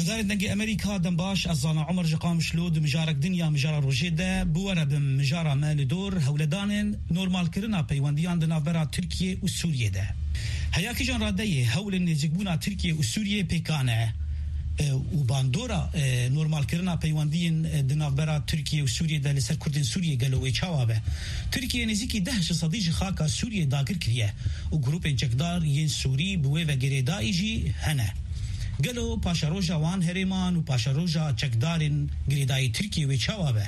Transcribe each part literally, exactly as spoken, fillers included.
Darên Dengê Amerîka, dem baş, ez Zana Omer ji Qamişlo di mijarek din ya mijara rojê de bi we re bim. Mijara me li dor hewledanên normalkirina peywendiyan di navbera Tirkiye û Sûriyê de. Heya kîjan radeyê hewlên nêzîkbûna Tirkiye û Sûriyê pêkan e, e, û bandora, e, normalkirina peywendiyên, e, di navbera Tirkiye û Sûriyê de li ser Kurdên Sûriyê gelo wê çawa be? Tirkiye nêzîkî deh ji sedî ji xaka Sûriyê dagir kiriye û grûpên çekdar yên Sûrî bi wê ve girêdayî jî hene. Gelo paşeroja wan herêman û paşeroja çekdarên girêdayî Tirkiyê wê çawa be?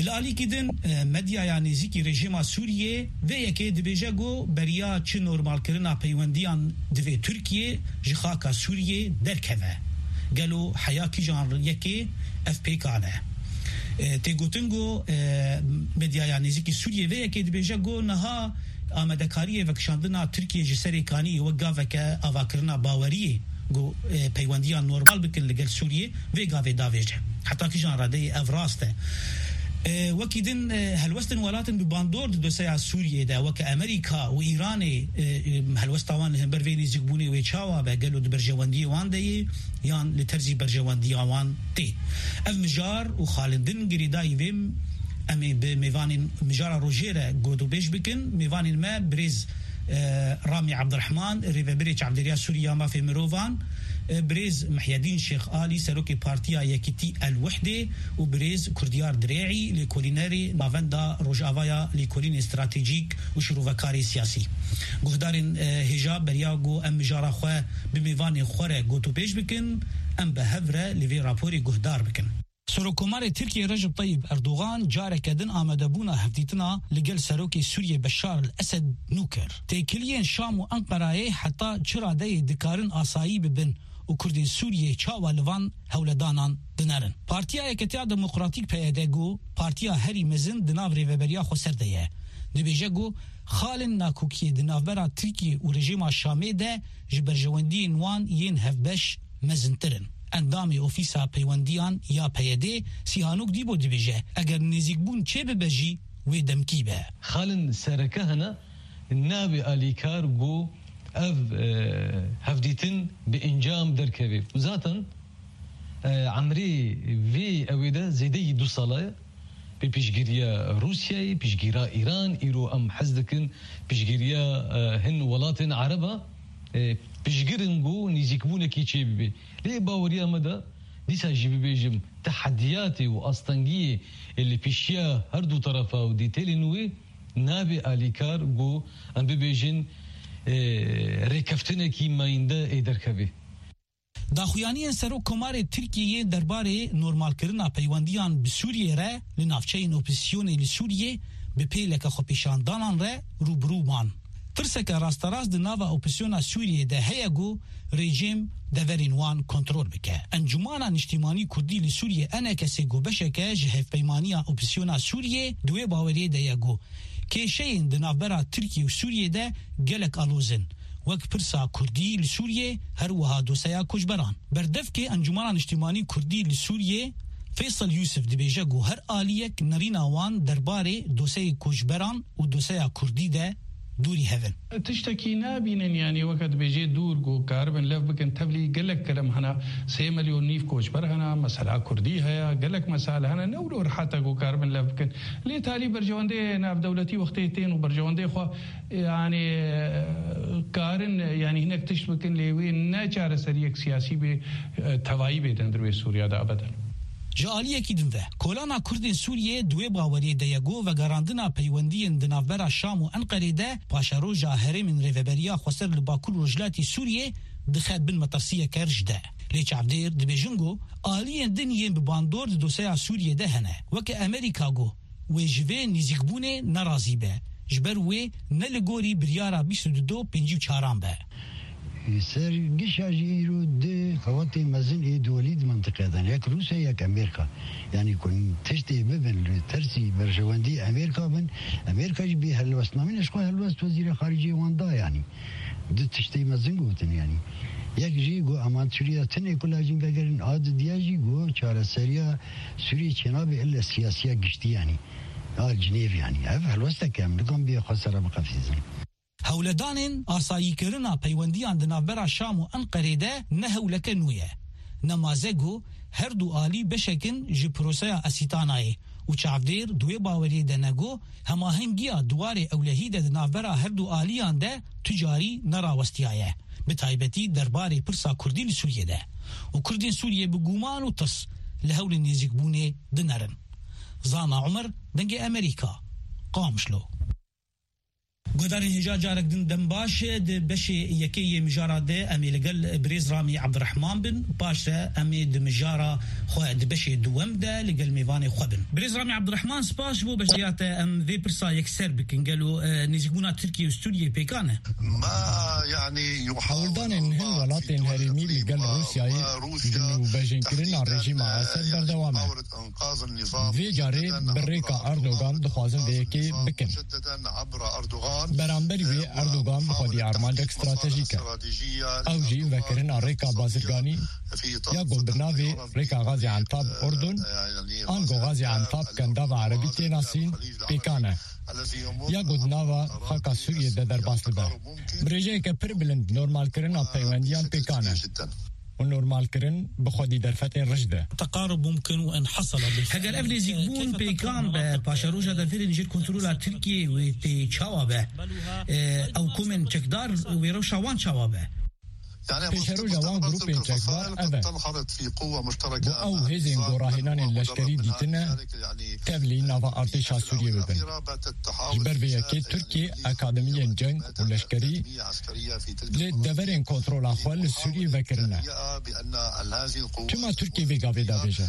Li alîkî din, e, medyaya nêzîkî rejîma Sûriyê vê yekê dibêje ku beriya çi normalkirina peywendiyan divê Tirkiye ji xaka Sûriyê derkeve. Gelo heya kîjan yekê ev pêkan e? E, tê gotin ku, e, medyaya nêzîkî Sûriyê vê yekê dibêje ku niha amadekariyê vekişandina Tirkiye ji serê kaniyê wek gaveke avakirina baweriyê ku, e, peywendiyan normal bikin li gel Sûriyê, vê gavê davêje. Heta kîjan radeyê ev rast e? E, wekî din, e, helwestin welatin bi bandor di doseya Sûriyê de, weke Amerîka û Îranê, e, e, helwesta wan li hember vê nêzîkbûnê wê çawa be? Gelo di berjewendiyê wan de yê yan li terzî berjewendiya wan tê? Ev mijar û xalindin girêdayî vê Em ê bi mêvanên mijara rojê re gotûbêj bikin. Mêvanên me birêz, e, Ramî Ebdirehman, rêvebirê Çavdêriya Sûrî ya Mafê Mirovan, e, birêz Mihyedîn Şêx Alî, serokê Partiya Yekîtî El Wihdê û birêz Kurdiyar Dirê'î, lêkolînerê Navenda Rojavaya Lêkolînê Stratejîk û Şîrovekarê Siyasî. Guhdarên, e, hêja beriya ku em mijara xwe bi mêvanên xwe re gotûbêj bikin, em bi hev re li vê raporê guhdar bikin. Serokkomarê Tirkiyê Recep Tayyip Erdogan careke din amadebûna hevdîtina li gel Serokê Sûriyê Beşar el Esed nû kir. Têkiliyên Şam û Enqerayê heta çi radeyê dikarin asayî bibin û Kurdên Sûriyê çawa li van hewledanan dinerin? Partiya Yeketiya Demokratîk P Y D got, partiya herî mezin di nav rêveberiya xweser de ye. Dibêje got, xalên nakokiyê di navbera Tirkiyê û rejîma Şamê de ji berjewendiyên wan yên hevbeş mezintir in. Endamê Ofîsa Peywendiyan ya P Y D, Sîhanok Dîbo dibêje, eger nêzîkbûn çêbibe jî wê demkî be. Xalên sereke hene, nabê alîkar ku ev, e, hevdîtin bi encam derkeve. Û zaten, e, emrê vê ewê de zêdeyî du sala ye. Bi piştgiriya Rûsyayê, piştgiriya Îran, îro em hez dikin piştgiriya, e, hin welatên Ereba, e, piştgirin ku nêzîkbûnekî çêbibe. Lê baweriya me de dîsa jî bibêjim, tehediyatê û astengiyê, e, li pêşiya her du terefa û dîtelên wê nabe alîkar ku em bibêjin, e, rêkeftinekî mayînde ê derkeve. Daxuyaniyên Serokkomarê Tirkiyeyê derbarê normalkirina peywendiyan bi Sûriyê re li navçeyên opozîsyonê li Sûriyê bi pêleke xwepêşandanan re rûbirû man. Tirseke rasterast di nava opozîsyona Sûriyê de heye ku rejîm deverên wan kontrol bike. Encûmana Niştîmanî Kurdî li Sûriyê, E N K S, got beşeke ji Hevpeymaniya Opozîsyona Sûriyê di wê baweriyê de ye ku kêşeyên di navbera Tirkiye û Sûriyê de gelek aloz in. Wek pirsa Kurdî li Sûriyê, her wiha doseya koçberan. Berdevkê Encûmana Niştîmanî Kurdî li Sûriyê, Feysel Yûsif dibêje ku her aliyek nerîna wan derbarê doseyê koçberan û doseya Kurdî de dûrî hev in. Tiştekî nabînin, yanî weke dibêjê dûr ku karibin lev bikin, tevlî gelek kelem hene, sê milyon nîv koçber hene, mesela Kurdî heye, gelek mesele hene, ne wilo rehet e ku karibin lev bikin. Lê talî berjewendê navdewletî wextê tên û berjewendê xwe, yanî, e, karin, yanî hinek tişt bikin, lê wê ne çareseriyek siyasî bê, e, tevayî bê di hundir wê Sûriya de ebeden. Ji aliyekî din ve, kolana Kurdên Sûriyê di wê baweriyê de ye ku vegerandina peywendiyên di navbera Şam û Enqerê de paşeroja herêmên rêveberiya xweser li Bakur û Rojhilatî Sûriyê dixe bin metirsiyeke rêjde. Lê çavdêr dibêjin ku aliyên din yên bi bandor di doseya Sûriyê de hene. Weke Amerîka got, wê ji vê nêzîkbûnê nerazî be, ji ber wê ne li gorî biryara bîst û du do pêncî û çaran be. Ser gişa jî îro du xewatê mezin ê duwelî di mintiqe de ne, yek Rûsya, yek Amerîka. Yanî ku tiştê bibin li tersî berjewendî Amerîka bin, Amerîka jî bê helwestnamî ne, ji xwe helwest wezîrê xariciyê wan da yanî. Du tiştê mezin gotin yanî. Yek jî got, eman Sûriya tinê ku lajîn vegerin, a didiya jî got, çareseriya Sûriyê çênabe ille siyasiya giştî yanî. A Cinêv yanî. Ev helwestek e, em nikan bê xwe sere biqefîzin. Hewledanên asayîkirina peywendiyan di navbera Şam û Enqerê de ne hewleke nû ye. Nemaze ku her du alî beşek in ji proseya Esîtanayê û çavdêr di wê baweriyê de ne ku hemahengiya di warê ewlehî de di navbera her du aliyan de tu carî nerawestiyaye, bi taybetî derbarê pirsa Kurdî li Sûriyê de. Û Kurdên Sûriyê bi guman û tirs li hewlên nêzîkbûnê dinerin. Zana Umer, Dengê Amerîka, Qamişlo. Guhdarên hêja carek din dem baş. Di beşê yekê yê mijara de em ê li gel birêz Ramî Ebdirehman bin, paş re em ê di mijara xwe di beşê duwem de li gel mêvanê xwe bin. Birêz Ramî Ebdirehman, spas ji bo beşdariya te. Em vê pirsa yekser bikin, gelo, e, nêzîkbûna Tirkiye û Sûriyê pêkan e? Hewldanên hin welatên herêmî li gel Rûsyayê di nûbejînkirina rejîma Esed berdewam e. Vê carê bi rêka Erdogan dixwazin vê yekê bikin. Beramberî wê Erdogan bi xwedî armancek stratejîk e. Ew jî vekirina rêka bazirganî ya ku bi navê rêka Gazî Entab Urdun, ango Gazî Entab Kendava Erebî tê nasîn, pêkan e. Ya ku di nava xaka Sûriyê de derbas dibe. Bi rêjeyeke pir bilind normalkirina peywendiyan pêkan e. Û normalkirin bi xwedî derfetên riş de. Heger ev nêzîkbûn pêkan be, paşeroja deverên jêr kontrola Tirkiyê wê tê çawa be? E, ew komên çekdar wê rewşa wan çawa be? Pêşeroja wan grûpên çekdar ev e. Bo ew hêzên gorahênanên leşkerî dîtine tevlî nava artêşa Sûriyê bibin. Ji ber vê yekê Tirkiye akademiyên ceng û leşkerî li deverên kontrola xwe li Sûriyê vekirine. Çima Tirkiye vê gavê davêje?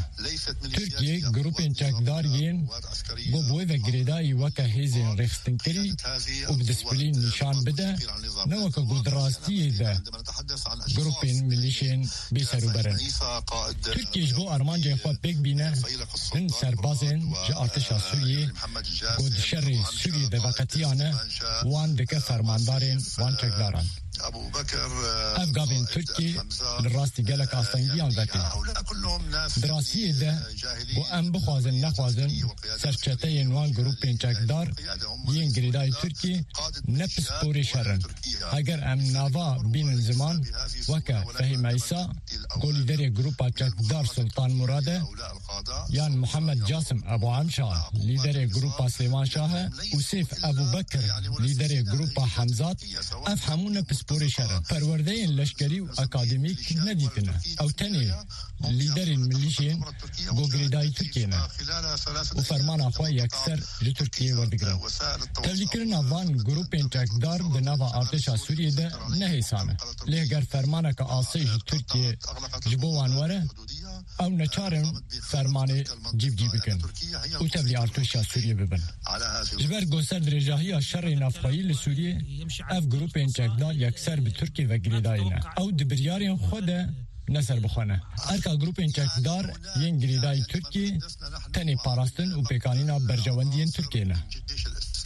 Tirkiye grûpên çekdar yên ku bi wê ve girêdayî weke hêzên rêxistinkirî û bi disîplîn nîşan bide, ne weke ku di rastiyê de grûpên milîşên bêserûber in. Tirkiye ji bo armancên xwe pêk bîne, hin serbazên ji artêşa Sûriyê ku di şerê Sûriyê de veqetiyane, wan dike fermandarên wan çekdaran. Ev gavên Tirkiyê li rastî gelek astengiyan vetê. Di rastiyê de, ku em bixwazin nexwazin, serçeteyên wan grûpên çekdar yên girêdayî Tirkiyê ne pisporê şer in. Heger em nava bînin ziman, weke Fehîm Eysa, ku lîderê grûpa çekdar Sultan Murad e, yan Muhammed Casim Ebu Emşa, lîderê grûpa Sêwan Şah e, û Sêf Ebu Bekir, lîderê grûpa Hemzat, ev hemû ne pisporê şer in. Perwerdeyên leşkerî û akademîk nedîtine. Ew tenê lîderên milîşên ku girêdayî Tirkiyê ne û fermana xwe yekser ji Tirkiyê werdigirin. Tevlîkirina van grûpên çekdar di nava artêşa Sûriyê de ne hêsan e. Lê heger fermaneke asê ji Tirkiyê ji bo wan were, ew neçar in fermanê cîvcî bikin û tevlî artêşa Sûriyê bibin. Ji ber ku ser dirêjahiya şerê navxweyî li Sûriyê ev grûpên çekdar yekser bi Tirkiyê ve girêdayî ne. Ew di biryarên xwe de ne serbixwe ne. Erka grûpên çekdar yên girêdayî Tirkiyê tenê parastin û pêkanîna berjewendiyên Tirkiyê ne.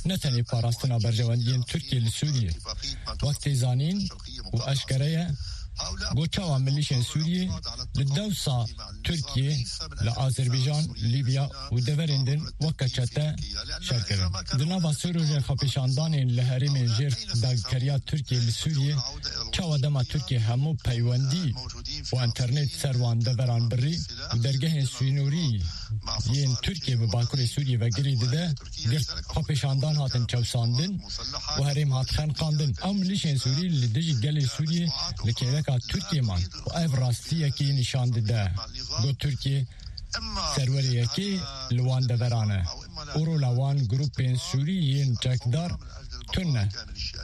Ne tenê parastina berjewendiyên Tirkiyê li Sûriyê. Wek tê zanîn û eşkere ye, ku çawa milîşên Sûriyê li dewsa Tirkiyê li Azerbaycan, Libya û deverên din weke çete şer kirin. Di nava sê rojên xwepêşandanên li herêmên jêr dagirkeriya Tirkiyê li Sûriyê, çawa dema Tirkiye hemû peywendî û enternet ser wan deveran birî û dergehên sînorî yên Tirkiye bi Bakurê Sûriyê ve girê dide, girt xwepêşandan hatin çewsandin û herêm hat xeniqandin. Ew milîşên Sûrî li dijî gelê Sûriyê li kêleka Tirkiyê man û ev rastiyekî nîşan dide ku Tirkiye serwerê yekê li wan deveran e û rola wan grûpên Sûrî yên çekdar tune,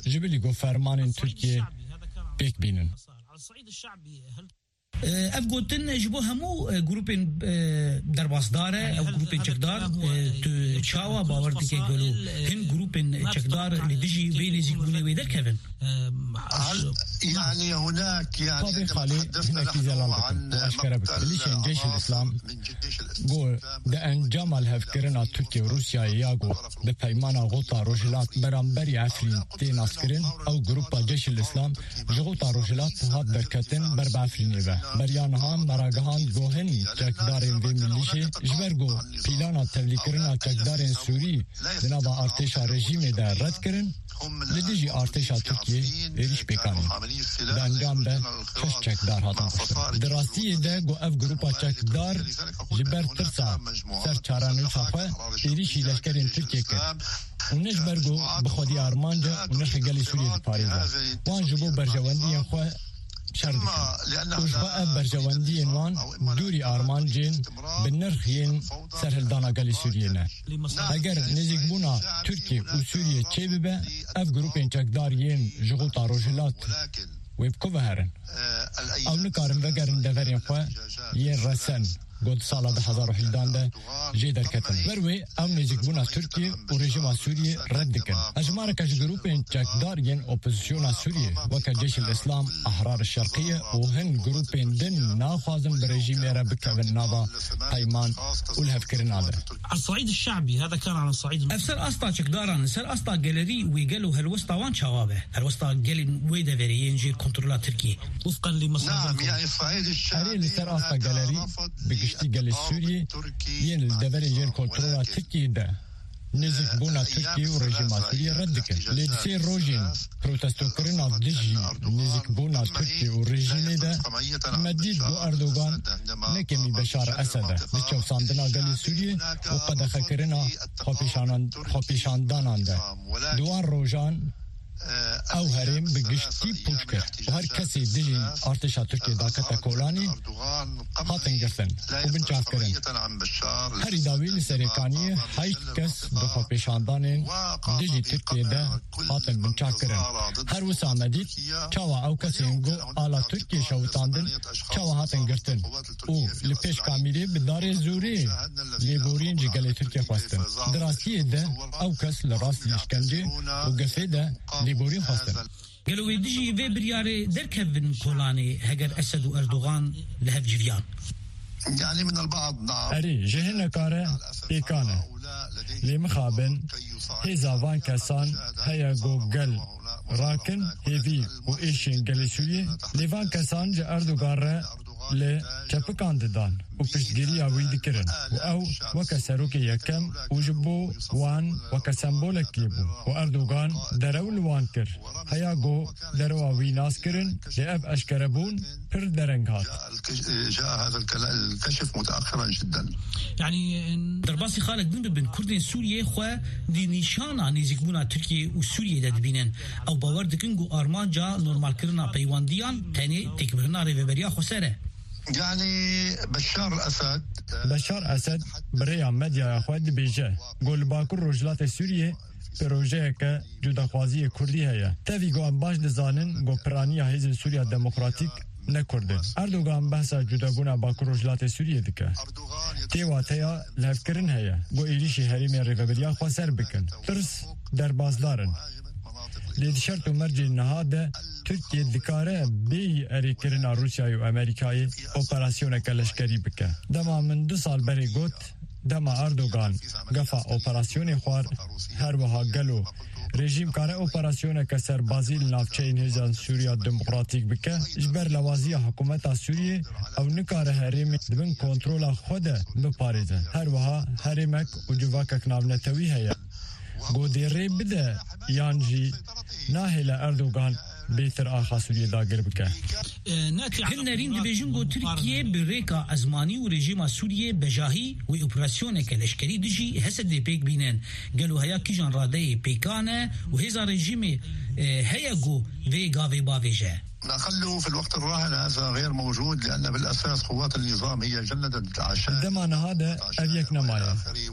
ji bilî ku fermanên Tirkiyê pêk bînin. Ev gotin ji bo hemû, e, grûpên, e, derbasdar e, ew grûpên çekdar, e, tu çawa bawer dike gelo hin grûpên çekdar li dijî vê nêzîkbûnê wê derkevin? Yanî hunak, yanî Pavê Xalê hinekî zelal bikin û eşkere bikin. Milîşên Ceyşil Îslam ku di encama lihevkirina Tirkiye û Rûsyayê ya ku bi peymana Xota Rojhilat beramberî Efrîn tê naskirin, ew grûpa Ceyşil Îslam ji Xota Rojhilat hat derketin ber bi Efrînê ve. Beriya niha meragihan ku hin çekdarên vê milîşê ji ber ku pîlana tevlîkirina çekdarên Sûrî di nava artêşa rejîmê de red kirin, Li dijî artêşa Tirkiyê êrîş pêk anîn. Di encam de şeş çekdar hatin kuştin. Di rastiyê de ku ev grupa çekdar ji ber tirsa ser çarenûsa xwe êrîşî leşkerên Tirkiyê kir. Û ne ji ber ku bi xwedî armanc e û nirxê gelê Sûriyê diparêze. Wan ji bo berjewendiyên xwe şer dikin. Û ji xwe ev berjewendiyên wan dûrî armancên bi nirx yên serhildana gelê Sûriyê ne. Eger nêzîkbûna Tirkiye û Sûriye çêbibe, ev grûpên çekdar yên ji xulta Rojhilat wê bi ku ve herin? Ew nikarin vegerin deverên xwe yên resen, got di sala du hezar û hejdehan de jê derketin. Ber wê ew nêzîkbûna Tirkiye û rejîma Sûriyê red dikin. Hejmareke ji grûpên çekdar yên opozisyona Sûriyê weke Ceyşil Îslam, Ahrar Şerqiye û hin grûpên din naxwazin bi rejîmê re bikevin nava peyman û lihevkirina de. على الصعيد الشعبي، هذا كان على الصعيد الم- Ev ser asta çekdaran, ser asta gelerî wê gelo helwesta wan çawa be? Helwesta gelên wê deverê yên jêr kontrola Tirkiyê. وفقا لمصادر نعم، يعني الصعيد الشعبي Erê, li ser asta gelerî, bi giştî gelê Sûriyê yên li deverên jêr kontrola Tirkiyê de nêzîkbûna Tirkiyê û rejîma Sûriyê red dikin. Lê di sê rojên protestokirina dijî nêzîkbûna Tirkiyê û rejîmê de me dît ku Erdogan ne kêmî Beşar Esed e di çewsandina gelê Sûriyê û qedexekirina xwepêşanan-, xwepêşandanan de. Di wan rojan ew herêm bi giştî pûç kir û her kesê dijî artêşa Tirkiyê dakete kolanî hatin girtin û binçavkirin. Herî dawî li Serêkaniyê heşt kes bi xwepêşandanên dijî Tirkiyê de hatin binçavkirin. Her wisa me dît çawa ew kesên ku ala Tirkiyê şewitandin, çawa hatin girtin û li pêş kamîrê bi darê zorê lêborîn ji gelê Tirkiyê xwestin. Di rastiyê de ew kes li rastî îşkencê û gefê de lêborîn xwestin. Gelo wê dijî vê biryarê derkevin kolanê heger Esed û Erdogan li hev civiyan? يعني من البعض نعم. Erê, ji hineka re pêkan e. Lê mixabin, hêza van kesan heye ku gel rakin hêvî û êşên gelê Sûriyê, lê van kesan ji Erdogan re li çepikan didan û piştgiriya wî dikirin û ew weke serokê yekem û ji bo wan weke sembolekê bû û Erdogan derew li wan kir. Heya ku derewa wî nas kirin, lê ev eşkerebûn pir dereng hat. جاء هذا الكشف متأخرا جدا. Derbasî xalek din bibin, Kurdên Sûriyê xwe di nîşana nêzîkbûna Tirkiye û Sûriyê de dibînin. Ew bawer dikin ku armanca normalkirina peywandiyan tenê têkbirina rêveberiya xweser e. Yani Beşar Esed Beşar Esed bi rêya medyaya xwe dibêje ku li Bakur Rojhilatê Sûriyê projeyeke cudaxwaziyê Kurdî heye. Tevî ku em baş dizanin ku piraniya Hêzên Sûriya Demokratîk ne Kurd in. Erdogan behsa cudabûna Bakur Rojhilatê Sûriyê dike. Tê wateya lihevkirin heye ku êrîşî herêmên rêveberiya xweser bikin. Tirs derbasdar in. Lê di şert û mercên niha de Tirkiye dikare bêyî erêkirina Rûsyayê û Amerîkayê operasyoneke leşkerî bike. Dema min du sal berê got, dema Erdogan gefa operasyonê xwar, her wiha gelo rejîm kare operasyoneke serbazî li navçeyên Hêzên Sûriya Demokratîk bike, ji ber lawaziya hikûmeta Sûriyê ew nikare herêmê di bin kontrola xwe de biparêze. Her wiha herêmek û civakek navnetewî heye. Ku dê rê bide yan jî nahêle Erdogan bêtir axa Sûriyê dagir bike. Hin nerîn dibêjin ku Tirkiye bi rêka ezmanî û rejîma Sûriyê bejahî wê operasyoneke leşkerî dijî Hesedê pêk bînin. Gelo heya kîjan radeyê pêkan e û hêza rejîmê, e, heye ku vê gavê bavêje? لا، خلوا في الوقت الراهن هذا غير موجود، لأن بالأساس قوات النظام هي جندت عشان Dema niha de ev yek nemaye.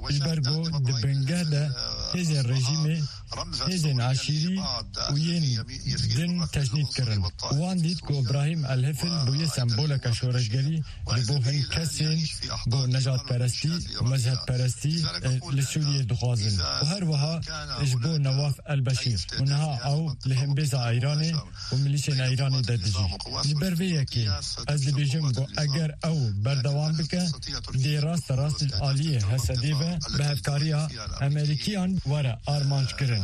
Ji ber ku di bingeh de hêzên rejîmê, hêzên eşîrî û yên din tecnîd kirin. Wan dît ku Îbrahîm El Hifil bûye semboleke şoreşgerî ji bo hin kesên ku nejadperestî û mezhebperestî, e, li Sûriyê dixwazin. Û her wiha ji bo Newaf El Beşîr. Û niha ew li hembêza Îranê û milîşên Îranê de dijî. Ji ber vê yekê ez dibêjim ku eger ew berdewam bike, dê raste rast ji aliyê Hesedê ve bi hevkariya Amerîkiyan were armanc kirin.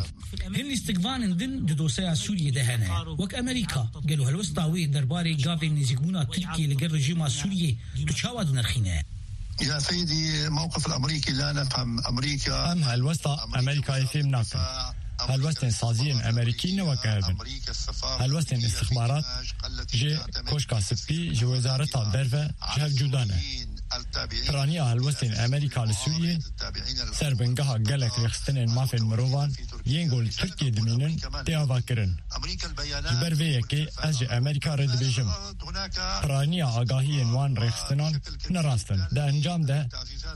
Hin lîstikvanên din di dosyeya Sûriyê de hene. Wek Amerîka, gelo helwesta wê derbarê gavên nêzîkbûna Tirkiyê li gel rejîma Sûriyê tu çawa dinirxîne? يا سيدي، موقف الأمريكي لا نفهم. أمريكا Em helwesta Amerîkayê fêm nakin. Helwestên saziyên Amerîkî ne weke hev in. Helwestên îstixbarat ji Koşka Spî, ji Wezareta Derve ji hev cuda ne. Piraniya helwestên Amerîka li Sûriyê ser bingeha gelek rêxistinên mafên mirovan yên ku li Tirkiyê dimînin tê avakirin. Ji ber vê yekê ez ji Amerîka re dibêjim, piraniya agahiyên wan rêxistinan ne rast in. Di encam de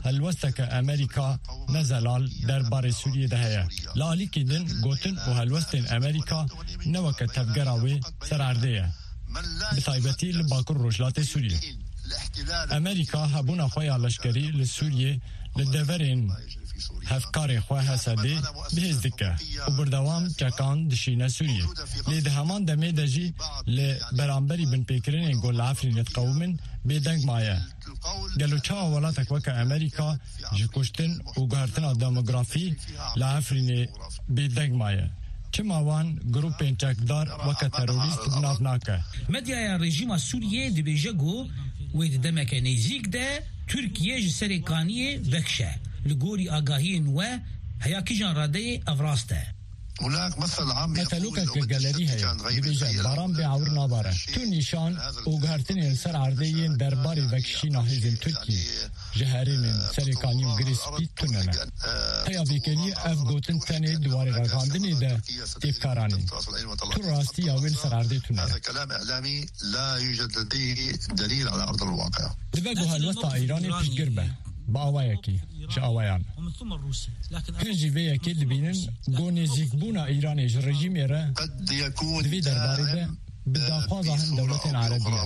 helwesteke Amerîka ne zelal derbarê Sûriyê de heye. Li alîkî din gotin û helwestên Amerîka ne weke tevgera wê ser erdê ye. Bi taybetî li Bakur Rojhilatê Sûriyê. Amerîka hebûna xwe ya leşkerî li Sûriyê li deverên hevkarê xwe H S D bi hêz dike û berdewam çekan dişîne Sûriyê. Lê di heman demê de jî li beramberî binpêkirinên ku li Efrînê diqewimin bêdeng maye. Gelo çawa welatek weke Amerîka ji kuştin û guhertina demografî li Efrînê bêdeng maye? Çima wan grûpên çekdar weke terorîst bi nav nake? Medyaya rejîma Sûriyê dibêje ku wê di demeke nêzîk de Tirkiye ji serê kaniyê vekişe. Li gorî agahiyên we, heya kîjan radeyê ev rast e? Metelokeke gelerî heye, dibêje, baran bê ewir nabare. Tu nîşan û guhertinên li ser erdê yên derbarê vekişîna hêzên Tirkiyê ji herêmên Serêkanî û Girê Spî tune ne. Heya vêkeliyê ev gotin tenê di warê ragihandinê de tê bikaranîn. Tu rastiya wê li ser erdê tune ye. Dibe ku helwesta Îranê piştgir be, bi awayekî ji awayan. Hin jî vê yekê dibînin ku nêzîkbûna Îranê ji rejîmê re di vê derbarê de bi daxwaza hin dewletên erebî ye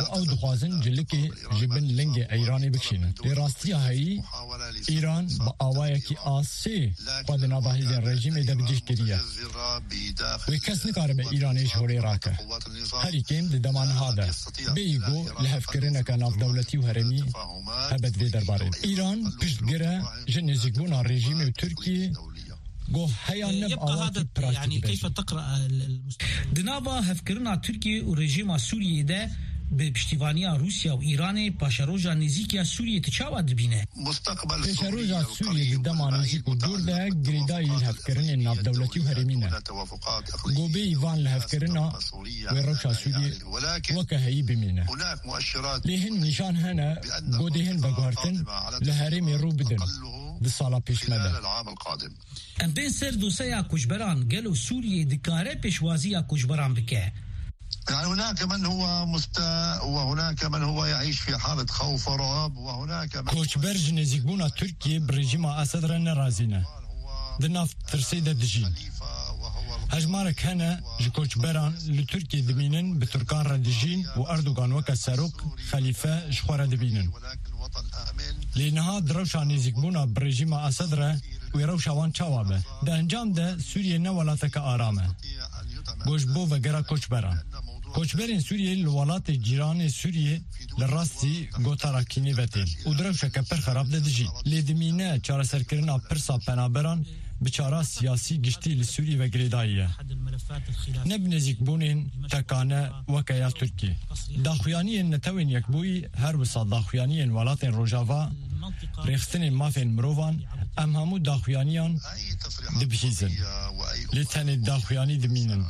û ew dixwazin cilikê ji bin lingê Îranê bikişînin. Lê rastiya heyî, Îran bi awayekî asê xwe di nava hêzên rejîmê de bi cih kiriye. Wê kes nikaribe Îranê ji holê rake. Herî kêm di dema niha de. Bêyî ku lihevkirineke navdewletî û herêmî hebe di vê derbarê. Îran piştgir e ji nêzîkbûna rejîmê û Tirkiyê. Goh heya ne bi awakî praktîk de jî. Di nava hevkirina Tirkiye û rejîma Sûriyeyê de bi piştîvaniya Rûsya û Îranê paşeroja nêzîk ya Sûriyê tu çawa dibîne? Pêşeroja Sûriyê di dema nêzîk û dûr de girêdayî li hevkirinên navdewletî û herêmî ne. Gobeyî van lihevkirina wê rewşa Sûriyê weke heyî bimîne. Lê hin nîşan hene godê hin veguhertin li herêmê rû bidin di sala pêşme de. Em bên ser doseya koçberan, gelo Sûriyê dikare pêşwaziya koçberan bike? يعني هناك من هو مست-، وهناك من هو يعيش في حالة خوف ورعب، وهناك من Koçber ji nêzîkbûna Tirkiyê bi rejîma Esed re nerazî ne. Di nav tirsê de dijîn. Hejmarek hene ji koçberan li Tirkiyê dimînin, bi Tirkan re dijîn û Erdogan weke serok, xelîfe ji xwe re dibînin. Lê niha di rewşa nêzîkbûna bi rejîma Esed re wê rewşa wan çawa be? Di encam de Sûriye ne welateke aram e. Ku ji bo vegera koçberan. Koçberên Sûriyê li welatê cîranê Sûriyê li rastî gotara kînê ve tên û di rewşeke pir xerab de dijîn. Lê dimîne çareserkirina pirsa penaberan bi çara siyasî giştî li Sûriyê ve girêdayî ye. Ne bi nêzîkbûnên tekane weke ya Tirkiyê. Daxuyaniyên Netewên Yekbûyî her wisa daxuyaniyên welatên Rojava, rêxistinên mafên mirovan, em hemû daxuyaniyan dibihîzin. Lê tenê daxuyanî dimînin.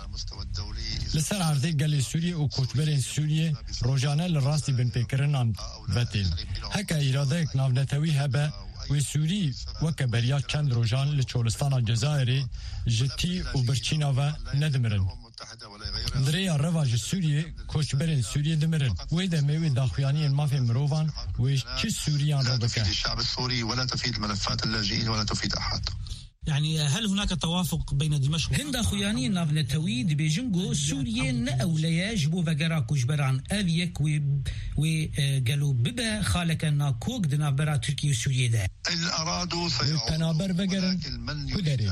Li ser erdê gelê Sûriyê û koçberên Sûriyê rojane li rastî binpêkirinan ve tên. Heke îradeyek navnetewî hebe, wê Sûrî weke beriya çend rojan li çolistana Cezayirê ji tî û birçîna ve nedimirin. Di rêya reva ji Sûriyê, koçberên Sûriyê dimirin. Wê demê wê daxuyaniyên mafên mirovan wê çi Sûriyan re bike? الشعب السوري ولا تفيد ملفات اللاجئين ولا تفيد أحد. يعني هل هناك توافق بين دمشق Hin daxuyaniyên navnetewî dibêjin ku Sûriye ne ewle ye ji bo vegera koçberan. Ev yek wê, wê, e, gelo bibe xaleke nakok di navbera Tirkiye û Sûriye de. Wê penaber vegerin ku derê?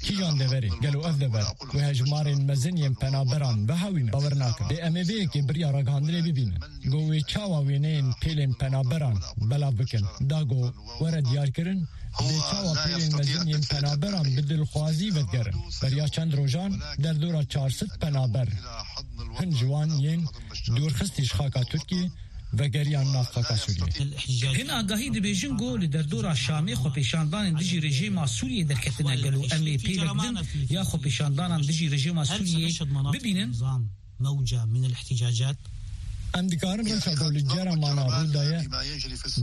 Kîjan deverê? Gelo ev dever wê hejmarên mezin yên penaberan vehewîne? Bawer nakim. Lê em ê vê yekê bi riya ragihandinê bibînin. Go wê çawa wêneyên pêlên penaberan belav bikin? Da go were diyarkirin, lê çawa pêlên mezin yên penaberan bi dilxwazî vedigerin? Beriya çend rojan derdora çar sed penaber hin ji wan yên dûrxistî ji xaka Tirkiyê vegeriyan nav xaka Sûriyê. Hin agahî dibêjin ku li derdora Şamê xwepêşandanên dijî rejîma Sûriyê derketine. Gelo em ê pêlek din ya xwepêşandanan dijî rejîma Sûriyê bibînin? موجة من الاحتجاجات. Em dikarin rewşa ku li Cermana rû daye,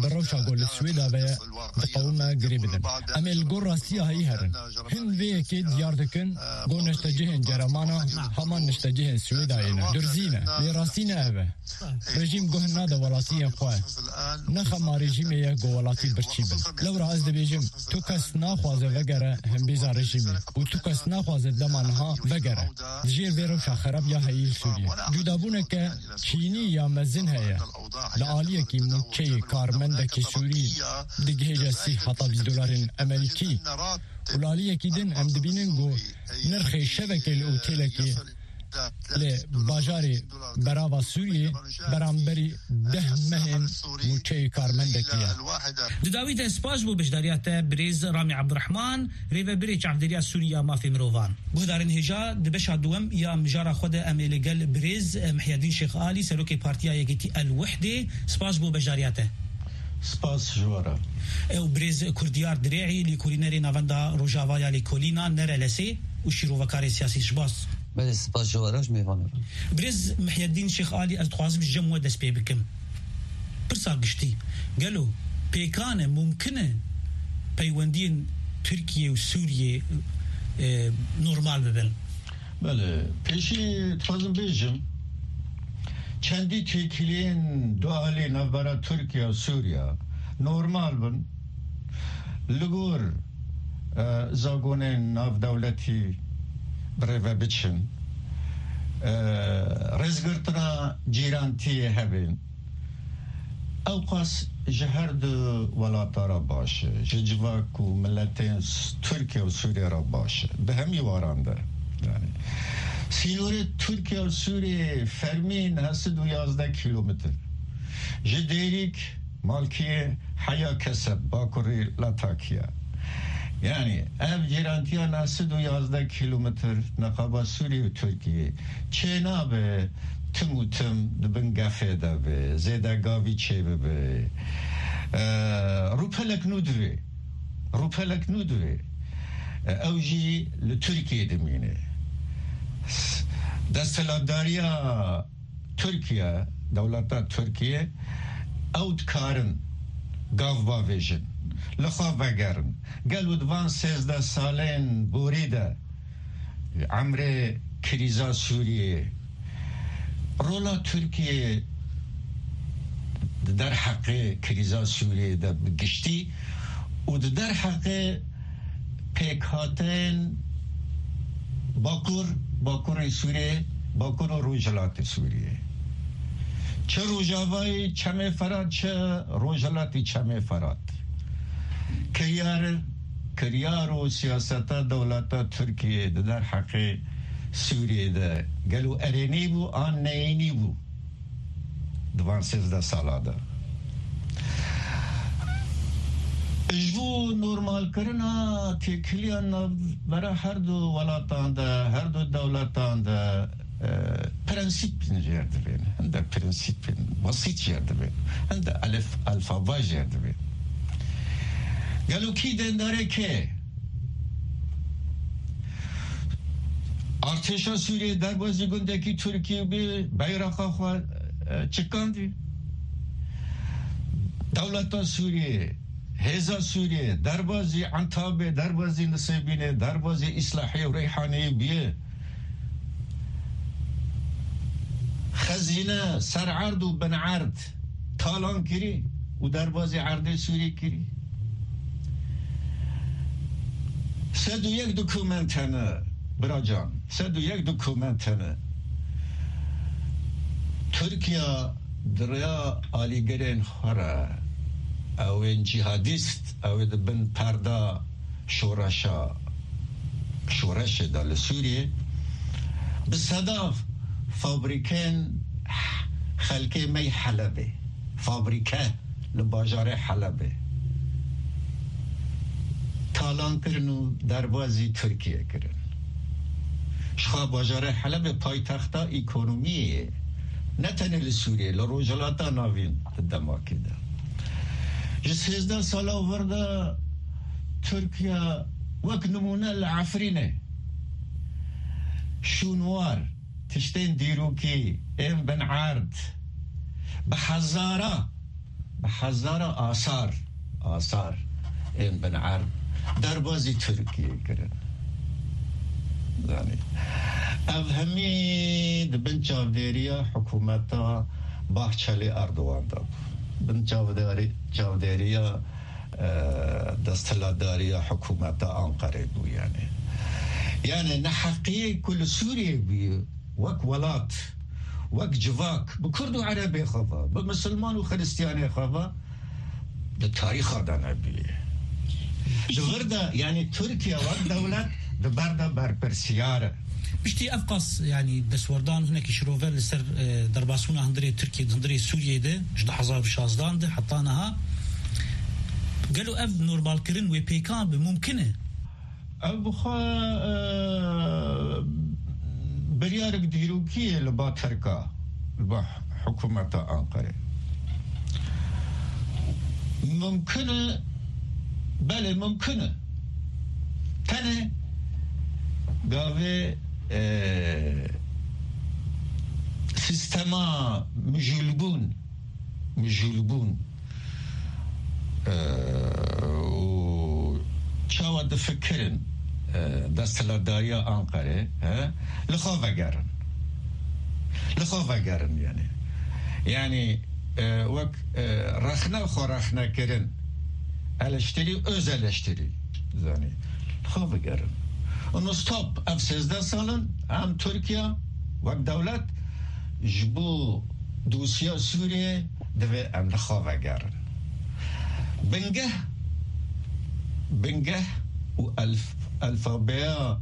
bi rewşa ku li Swêda ve ye, diqewime girê bidin. Em ê li gor rastiya heyî herin. Hin vê yekê diyar dikin ku niştecihên Cermana heman niştecihên Swêdayê ne. Durzî ne. Lê rastî ne ev e. Rejîm guh nade welatiyên xwe. Ne xema rejîmê ye ku welatî birçî bin. Lewra ez dibêjim, tu kes naxwaze vegere hembêza rejîmê û tu kes naxwaze dema niha vegere. Di jêr vê rewşa xerab ya heyî li Sûriyê. Cudabûneke çînî ya mezin heye. Li aliyekî mûçeyê karmendekî Sûrî digihêje sî heta bîst dolarên Amerîkî. Û li aliyekî din em dibînin ku nirxê şevekê li otelekê li bajarê berava Sûriyê beramberî deh mehên mûçeyê karmendekî ye. Di dawî de spas bo beşdariya te birêz Ramî Abdurrahman, rêvebirê Çavdêriya Sûrî ya Mafê Mirovan. Guhdarên hêja, di beşa duwem ya mijara xwe de em ê li gel birêz Mihyedîn Şêx Alî, serokê Partiya Yekîtî El Wihdê, spas bo beşdariya te. Spas ji we re. Ew birêz Kurdiyar Dirê'î, lêkolînerê Navenda Rojava ya Lêkolîna, Nerelesê û şîrovekarê siyasî. Spas. Belê, spas ji we re, ji mêvanê re. Birêz Mihyedîn Şêx Alî, ez dixwazim ji cem we dest pê bikim. Pirsa giştî, gelo pêkan e, mumkin e peywendiyên Tirkiye û Sûriyê, e, normal bibin? Belê, pêşî dixwazim bêjim, çendî têkiliyên dualî navbera Tirkiye û Sûriye normal bin, li gor, e, zagonên navdewletî bi rê ve biçin, e, rêzgirtina cîrantiyê hebin. Ewqas ji her du welata re baş e, ji civak û miletên S-, Tirkiye û Sûriye re baş e, bi hemî waran de. Yani, sînorê Tirkiye û Sûriye fermî neh sed û yazdeh kîlometr. Ji Dêrîk, Malkiyê, heya Keseb, bakurî Latakiya. Yani, ev cîrantiya neh sed û yazdeh kîlometr neqaba Sûriye û Tirkiye çênabe, tim û tim di bin gefê de be, zêde gavî çêbibe. E, rûpelek nû divê. Rûpelek nû divê. E, ew jî li Tirkiyê dimîne. Desthilatdariya Tirkiye, dewleta Tirkiye, ew dikarin gav bavêjin, li xwe vegerin. Gelo di van sêzdeh salên borî de emrê krîza Sûriyê, rola Tirkiye di derheqê krîza Sûriyê de bi giştî û di derheqê pêkhateyên Bakur, Bakurê Sûriyê, Bakur û Rojhilatê Sûriyê. Çi Rojavayê Çemê Ferat, çi Rojhilatê Çemê Ferat. Kiryar, kiryar û siyaseta dewleta Tirkiyê di derheqê Sûriyê de gelo erênî bû an neyînî bû? Di van sêzdeh sala de. Ji bo normalkirina têkiliya navbera her du welatan de, her du dewletan de, e, prensîp jêr divên. Hinde prensîpên basît jêr divên. Hinde elif, alfaba jêr divên. Gelo kî dendarê kê? Artêşa Sûriyê derbazî gundekî Tirkî bi beyraqa xwe, e, çikandî. Dewleta Sûriyê, hêza Sûriyê, derbazî Entabê, derbazî Nisêbînê, derbazî Îslahê û Reyhanê bîye. Xezîne, ser erd û bin erd talan kirî û derbazî erdê Sûrî kirî. Sed û yek dokument hene, biracan, sed û yek dokument hene. Tirkiye di rêya alîgirên xwe re, ew ên cîhadîst, ew ê di bin perda şoreşa, şoreşê de li Sûriyê, bi seda fabrîkên xelkê me yê Helebê, fabrîke li bajarê Helebê talan kirin û derbazî Tirkiyê kirin. Ji xwe bajarê Helebê paytexta ekonomiyê ye. Ne tenê li Sûriyê, li Rojhilata Navîn di demakê de. Ji sêzdeh sala vir de Tirkiye wek nimûne li Efrînê şûnwar, tiştên dîrokî ên bin erd, bi hezara, bi hezara asar, asar ên bin erd derbazî Tirkiyê kirin. Zanî, ev hemî di bin çavdêriya hikûmeta Bahçeli Erdogan de bû. Bin çavdarî-, çavdêriya, e, desthilatdariya hikûmeta Anqerê bû, yanî. Yanî neheqiyê ku li Sûriyê bûye, wek welat, wek civak, bi Kurd û Erebê xwe ve, bi Misilman û Xiristiyanê xwe ve, di tarîxa de nebûye. Di vir de, yanî Tirkiye wek dewlet di ber de berpirsiyar e. Piştî ev qas, yanî destwerdan hinekî şirove li ser, e, derbasbûna hundirê Tirkiyê, hundirê Sûriyê de, ji du hezar û şazdan de heta niha, gelo ev normalkirin wê pêkan bi mumkin e? Ev bi xwe, e, biryarek dîrokî ye li ba Tirka, li ba hikûmeta Anqerê. Mumkin e, belê mumkin e. Tenê gavê, e, sîstema mijûlbûn, mijûlbûn, e, û çawa difikirin, e, desthilatdariya Anqerê, he? Li xwe vegerin. Li xwe vegerin, yanî. Yanî, e, wek, e, rexne xwe rexne kirin. Eleştirî, öz eleştirî. Zanî. Li xwe vegerin. Û stop, ev sêzdeh sal in, em Tirkiye wek dewlet ji bo dosya Sûriyê divê em li xwe vegerin. Bingeh, bingeh û elf-, alfabeya,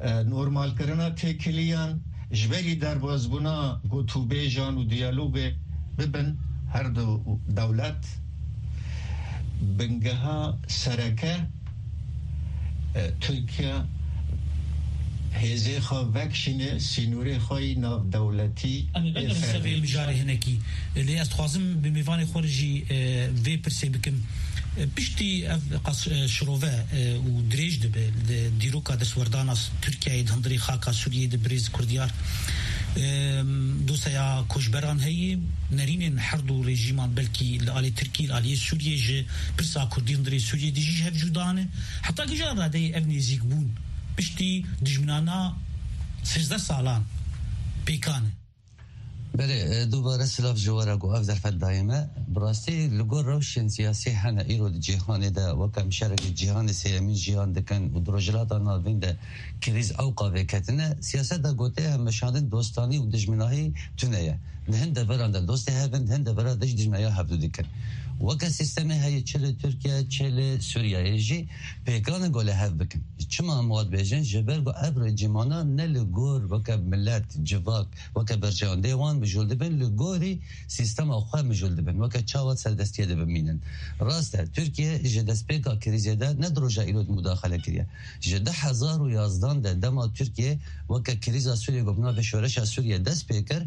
e, normalkirina têkiliyan ji berî derbazbûna gotûbêjan û diyalogê bibin her du dewlet, bingeha sereke, e, Tirkiye hêzê xwe vekişîne sînorê xwe yî navdewletî. Em ê vegerin ser vê mijarê hinekî. Lê ez dixwazim bi mêvanê xwe re jî, e, vê pirsê bikim. E, piştî ev qas, e, şirove, e, û dirêj dibe li dîroka destwerdana Tirkiyeyê di hundirê xaka Sûriyê de birêz Kurdiyar. E, dosyeya koçberan heye, nerînên her du rejîman belkî li alî Tirkî, li alî Sûriyê ji pirsa Kurdî hundirê Sûriyê de jî ji hev cuda ne. Heta kîjan radeyê ev nêzîkbûn piştî dijminana sêzdeh salan pêkan e? Belê, e, dubare silav ji we re ku ev derfet dayê me. Bi rastî li gor rewşên siyasî hene îro di cîhanê de weke em şerekî cîhanê sêyemîn jiyan dikin û di Rojhilata Navîn de krîz ewqa vêketine. Siyaseta gotiye hemmeşandin dostanî û dijminahî tune ye. Di hin deveran de dostê hev in, di hin devera de jî dijminaya hevdû dikin. Weke sîstemê heye çi li Tirkiye, çi li Sûriyeyê jî pêkan e ku li hev bikin. Çima em wiha dibêjin? Ji ber ku ev rejîmana ne li gor weke milet, civak, weke berjewendê wan mijûl dibin, li gorî sîstema xwe mijûl dibin, weke çawa serdestiyê de bimînin. Rast e, Tirkiye ji destpêka krîzê de ne di roja îro de mudaxele kiriye. Ji du hezar û yazdan de dema Tirkiye weke krîza Sûriyê ku bi navê Şoreşa Sûriyê dest pê kir,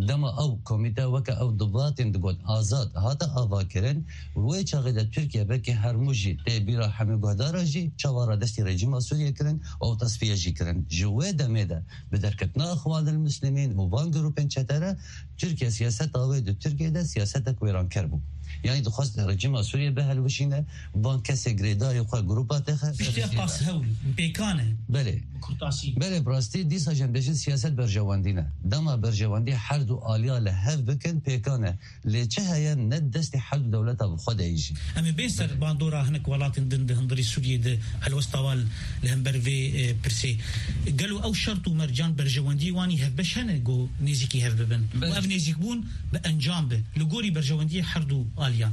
dema ew komîte weke ew dibatên digot azad hate avakirin, wê çaxê de Tirkiye belkî her mû jî tê bîra hemî guhdara jî çawa radestî rejîma Sûriyê kirin û ew tesfiye jî kirin. Ji wê demê de bi derketina Îxwanil Muslimîn û van grûpên çete re Tirkiye siyaseta wê di Tirkiye de siyasetek wêranker bû. Yanî dixwest rejîma Sûriyê bihilwijîne, van kesê girêdayê xwe grûpa texe. Piştî ev qas hewl, pêkan e. Belê. Bi kurtasî. Belê, bi rastî dîsa jî em bêjin siyaset berjewendî ne. Dema berjewendî her du aliya li hev bikin pêkan e. Lê çi heye ne di destê her du dewleta bi xwe de yî jî. Em ê bên ser bandora hinek welatên din di hundirê Sûriyê de helwesta wan li hember vê, e, pirsê. Gelo ew şert û mercan berjewendiyê wan î hevbeş hene ku nêzîkî hev bibin? Û Belê. Ev nêzîkbûn bi encam be li gorî berjewendiyê her du aliyan?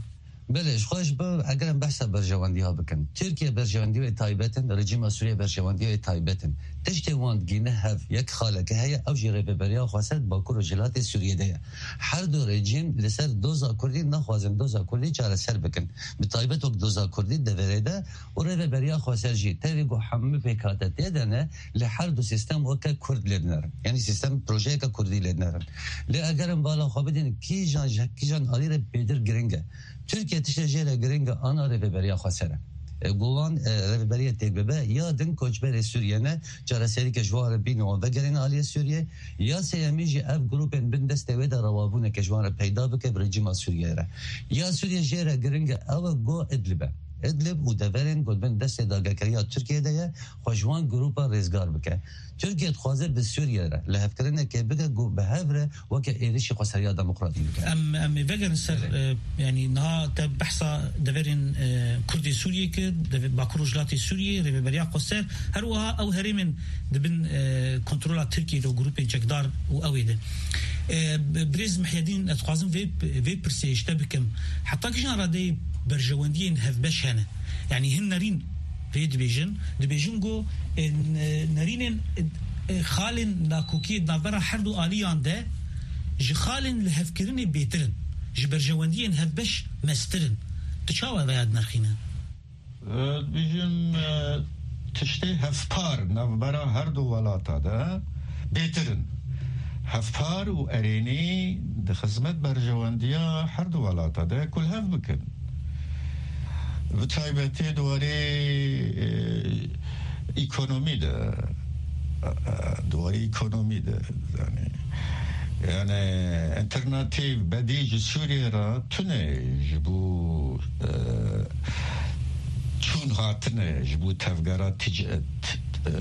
Belê, ji xwe ji bo eger em behsa berjewendiya bikin. Tirkiye berjewendiya wê taybet in, rejîma Sûriye berjewendiya wê taybet in. Tiştê wan digîne hev, yek xaleke heye, ew jî rêveberiya xweser di Bakur û Rojhilatê Sûriyê de ye. Her du rejîm li ser doza Kurdî naxwazin doza Kurdî çareser bikin. Bi taybet wek doza Kurdî deverê de û rêveberiya xweser jî tevî ku hemû pêkhate tê de ne, li her du sîstem weke Kurd lê dinerin. Yanî sîstem projeyeke Kurdî lê dinerin. Lê eger em bala xwe bidin, kîjan ji kîjan alî re bêtir giring e. Tirkiye tiştê jê re giring e, ana rêveberiya xweser e. E, ku wan, e, rêveberiya têk bibe, ya din koçberê Sûriye ne, çareserî ke ji wan re bîne wan vegerîne aliyê Sûriye, ya sêyemî jî ev grûpên bin destê wê de rewabûneke ji wan re peyda bike bi rejîma Sûriye re. Ya Sûriye jê re giring e, ew e ku Idlib e. Idlib û deverên ku bin destê dagirkeriya Tirkiye de ye, xwe ji wan grûpa rêzgar bike. Tirkiye dixwaze bi Sûriye re lihevkirinekê bike ku bi hev re weke êrişî xweseriya demokratîk bike. Em, em ê vegerin ser, Belê. e, yanî niha te behsa deverên, e, Kurdê Sûriyê kir, deve-, Bakur Rojhilatê Sûriyê, rêveberiya xweser, her wiha ew herêmên di bin, e, kontrola Tirkiyê de û grûpên çekdar û ew ê de. E, b-, birêz Mihyedîn, ez dixwazim vê, vê pirsê ji te bikim. Heta kîjan radeyê berjewendiyên hevbeş hene? Yanî hin nerîn vê dibêjin, dibêjin ku, e, n-, nerînên, e, e, xalên nakokiyê di navbera her du aliyan de ji xalên lihevkirinê bêtir in, ji berjewendiyên hevbeş mestir in. Tu çawa vêya dinirxîne? E, dibêjin, e, tiştê hevpar navbera her du welata de bêtir in. Hevpar û erênî di xizmet berjewendiya her du welata de ku li hev bikin. Bi taybetî di warê, e, ekonomî de, e, e, di warê ekonomî de, yani, yani alternatîf, bedîl ji Sûriyê re tune ji bo, e, çûn hatine, ji bo tevgera tic-, t-, t-, e,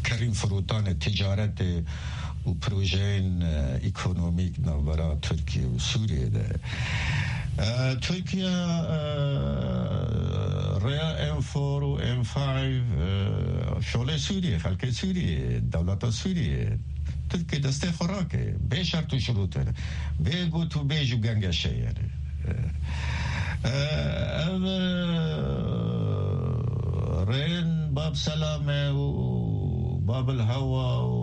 kerîn firotanê, ticaretê û projeyên, e, ekonomîk navbera Tirkiye û Sûriyê de. E, Tirkiye, e, rêya M four û M five, e, şolê Sûriyê, xelkê Sûriyê, dewleta Sûriyê, Tirkiye destê xwe rake, bê şert û şirût e, bê got û bêj û gengeşe ye. E, e, ev, e, rên Bab Selame û Babil Hewa û,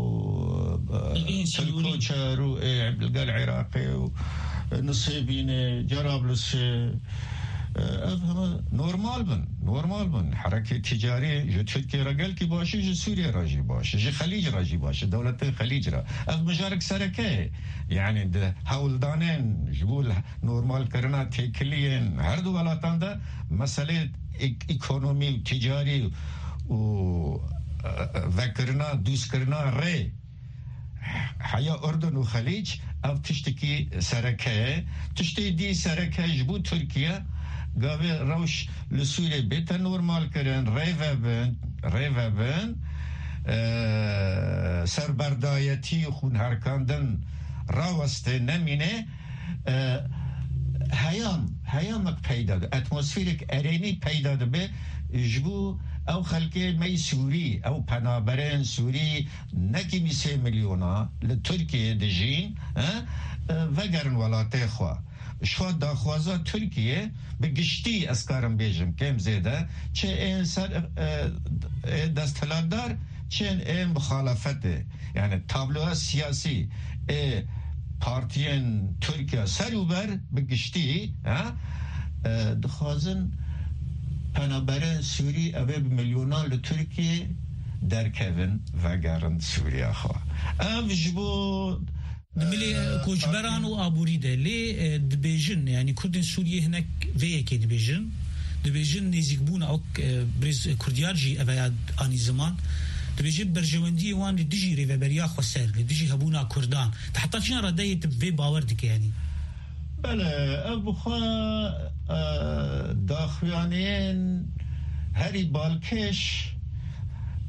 e, Tirk Koçer û, e, li gel Iraqê û, e, Nisêbînê, Cerablusê, e, ev heme normal bin, normal bin. Herekê ticarî ji Tirkiye re gelkî baş e, ji Sûriye re jî baş e, ji Xelîc re jî baş e, dewletên Xelîc re. Ev mijarek sereke ye. Yani di hewldanên ji bo normalkirina têkiliyên her du welatan de meselê ek-, ekonomî û ticarî û, e, e, vekirina, dûstkirina rê heya Urdun û Xelîc, ev tiştekî sereke ye. Tiştê dî sereke ji bo Tirkiye, gavê rewş li Sûriyê bête normalkirin, rê vebin, rê vebin, e, serberdayetî, xûnherkandin raweste, nemîne, e, heyam, heyamek peyda dibe, atmosferek erênî peyda dibe ji bo ew xelkê me yî Sûrî, ew penaberên Sûrî, nekî bîst sê milyona li Tirkiyeyê dijîn, e, e, vegerin welatê xwe. Ji xwe daxwaza Tirkiye bi giştî, ez karim bêjim, kêm zêde, çi ên ser, e, e, desthilatdar, çi ên ê muxalefetê. Yani tabloya siyasî ê partiyên Tirkiye ser û ber bi giştî, ha, e, dixwazin penaberên Sûrî, ev ê bi milyonan li Tirkiye derkevin, vegerin Sûriya xwe. Ev ji bo Di milê, e, koçberan û aborî de lê, e, dibêjin, yani Kurdên Sûriyê hinek vê yekê dibêjin. Dibêjin nêzîkbûna, wek, e, birêz Kurdiyar jî ev ya anî ziman. Dibêje berjewendiyê wan li dijî rêveberiya xweser, li dijî hebûna Kurdan. Te heta kîjan radeyê tu bi vê bawer dike, yani? Belê, ev bi xwe, e, daxuyaniyên herî balkêş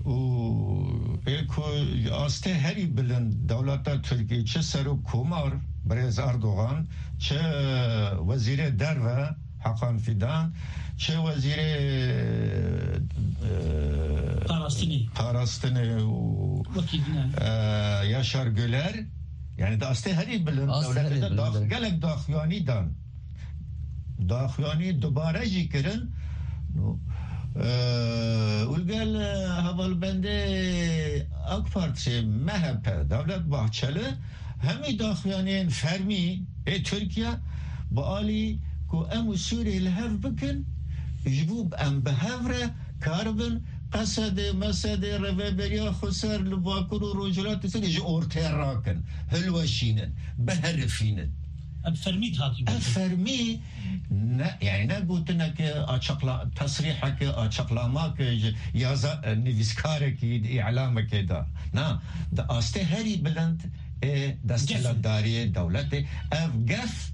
û ê ku ji astê herî bilind dewleta Tirkiyê, çi serok komar birêz Erdogan, çi wezîrê derve Hakan Fidan, çi wezîrê, e, Parastinê. Parastinê û, Wekî din e. e, Yaşar Güler, yani di astê herî bilind Astê dewletê herî de bilind, dax-, evet. Gelek daxuyanî dan. Daxuyanî dubare jî kirin. Û, e, û li gel, e, hevalbendê AK Partiyê, M H P, Devlet Bahçeli, hemî daxuyaniyên fermî ê Tirkiye bi alî ku em û Sûriyê li hev bikin, ji bo em bi hev re karibin Qesedê, Mesedê, rêveberiya xweser li Bakur û Rojhilatê Sûriyê ji ortê rakin, hilweşînin, biherifînin. Ev fermî dihatî Ev gotin. Fermî ne, yani ne gotineke açıkla-, tesrîheke, açıklamake ji yaza-, e, nivîskarekî di îlamekê de. Na, di astê herî bilind ê desthilatdariyê dewletê. Ev gef,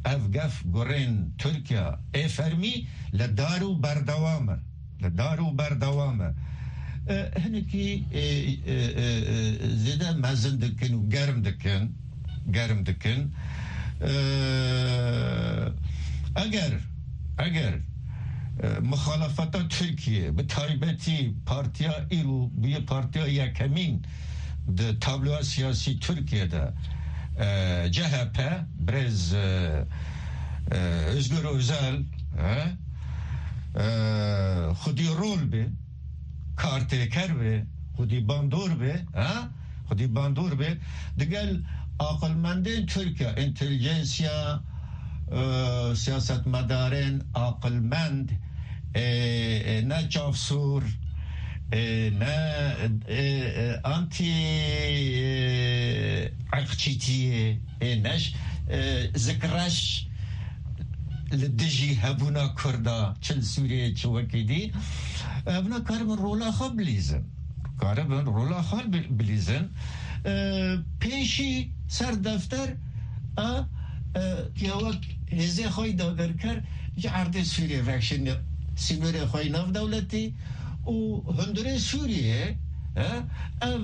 ev gef gurên Tirkiye ê fermî li dar û berdewam e. Li dar û berdewam e. E, hinekî, e, e, e, e, zêde mezin dikin û germ dikin. Germ dikin. E, eger, eger, e, muxalefeta Tirkiye, bi taybetî partiya îro bûye partiya yekemîn di tabloya siyasî Tirkiye de, e, C H P, birêz, e, e, Özgür Özel, e, e, xwedî rol be, kartêker be, xwedî bandor be, ha? Xwedî bandor be. Digel aqilmendên Tirkiye, intelijensiya, e, siyasetmedarên aqilmend, e, e, ne çavsûr, e, ne, e, e, anti, e, irqçîtiyê, e, ne ş-, e, zikreş, li dijî hebûna Kurda, çi li Sûriyeyê, çi wekî dî, hebûna karibin rola xwe bilîzin. Karibin rola xwe bi-, bilîzin. E, pêşî ser defter a, e, ya wek hêzê xwe yî dagirker ji erdê Sûriyê vekişîne sînorê xwe yî navdewletî û hundirê Sûriyê, e, ev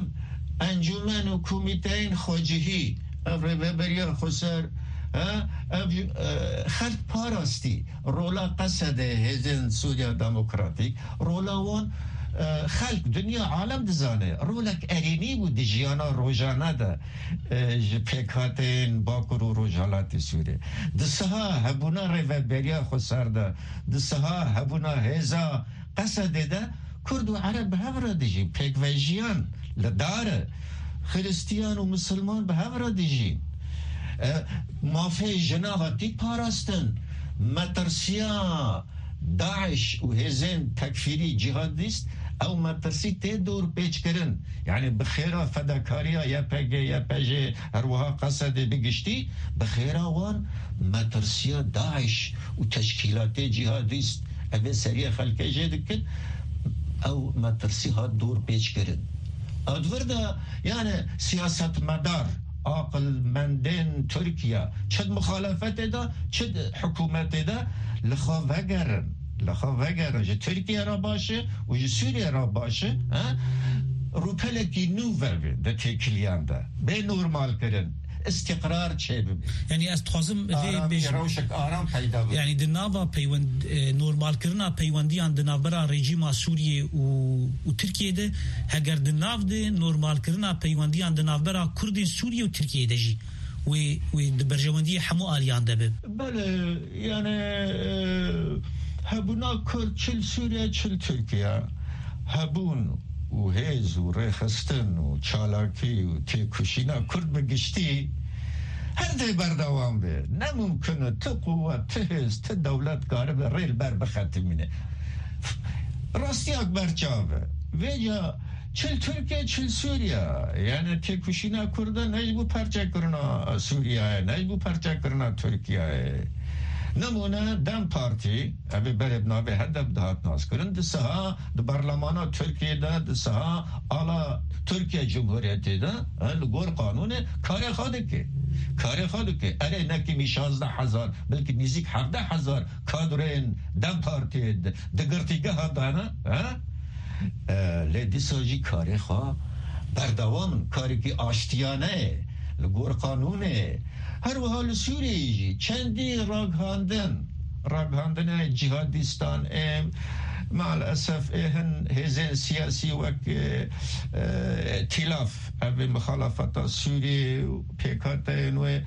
encûmen û komîteyên xwecihî, ev rêveberiya xweser, e, ev, e, xelk parastî. Rola Qesedê hêzên Sûriya Demokratîk, rola wan, e, xelk, dinya, alem dizane. Rolek erênî bû di jiyana rojane de, e, ji pêkhateyên Bakur û Rojhilatê Sûriyê. Di siha hebûna rêveberiya xweser de, di siha hebûna hêza Qesedê de Kurd û Ereb bi hev re dijîn, pêkvejiyan li dar e. Xiristiyan û Misilman bi hev re dijîn. E, mafê jina hatî parastin. Metirsiya DAIŞ û hêzên tekfîrî cîhadîst, ew metirsî tê dor pêçkirin. Yani bi xêra fedakariya Y P G, Y P J, her wiha Qesedê bi giştî, bi xêra wan metirsiya DAIŞ û teşkîlatê cîhadîst, evê seriyê xelkê jê dikin, ew metirsî hat dor pêçkirin. A di vir de, yani siyasetmedar, aqilmendên Tirkiye, çi di muxalefetê de, çi di hikûmetê de, li xwe vegerin. Li xwe vegerin. Ji Tirkiye re baş e û ji Sûriye re baş e, he? Rûpelekî nû vebe di têkiliyan de. Bê normalkirin. Îstîqrar çêbibe. Yani ez dixwazim vê Aramî, bêjim. Rewşek aram peyda bibe. Yani di nava peywend-, e, normalkirina peywendiyan di navbera rejîma Sûriyê û, û Tirkiyê de, heger di nav de normalkirina peywendiyan di navbera Kurdên Sûriyê û Tirkiyê de jî wê, wê di berjewendiyê hemû aliyan de be. Belê, yani, e, hebûna Kurd çi li Sûriye, çi li Tirkiye, hebûn û hêz û rêxistin û çalakî û têkoşîna Kurd bi giştî her dê berdewam be. Ne mumkin e tu quwet, tu hêz, tu dewlet karibe rê li ber bixetimîne. Rastiyak berçav e. Vêca çi li Tirkiye, çi li Sûriye. Yani têkoşîna Kurda ne ji bo parçekirina Sûriyeyê, ne ji bo parçekirina Tirkiyeyê. Nimûne DEM Partî, ev ê berê bi navê HDP dihat naskirin, di siha di berlemana Tirkiyê de, di siha ala Tirkiye Cumhuriyetê de, e, li gor qanûnê karê xwe dike. Karê xwe dike. Erê ne kimî şazdeh hezar, belkî nêzîk hevdeh hezar kadrên DEM Partiyê di, di girtîgeha de ne, he? E, lê dîsa jî karê xwe berdewam in. Karekî aştiyane ye, li gor qanûnê ye. Her wiha li Sûriyeyê jî çendî ragihandin, ragihandinê cîhadîstan ê, maalesef ê hin hêzên siyasî wek, e, e, Tîlaf, ev ê mixalefeta Sûriyê û pêkhateyên wê,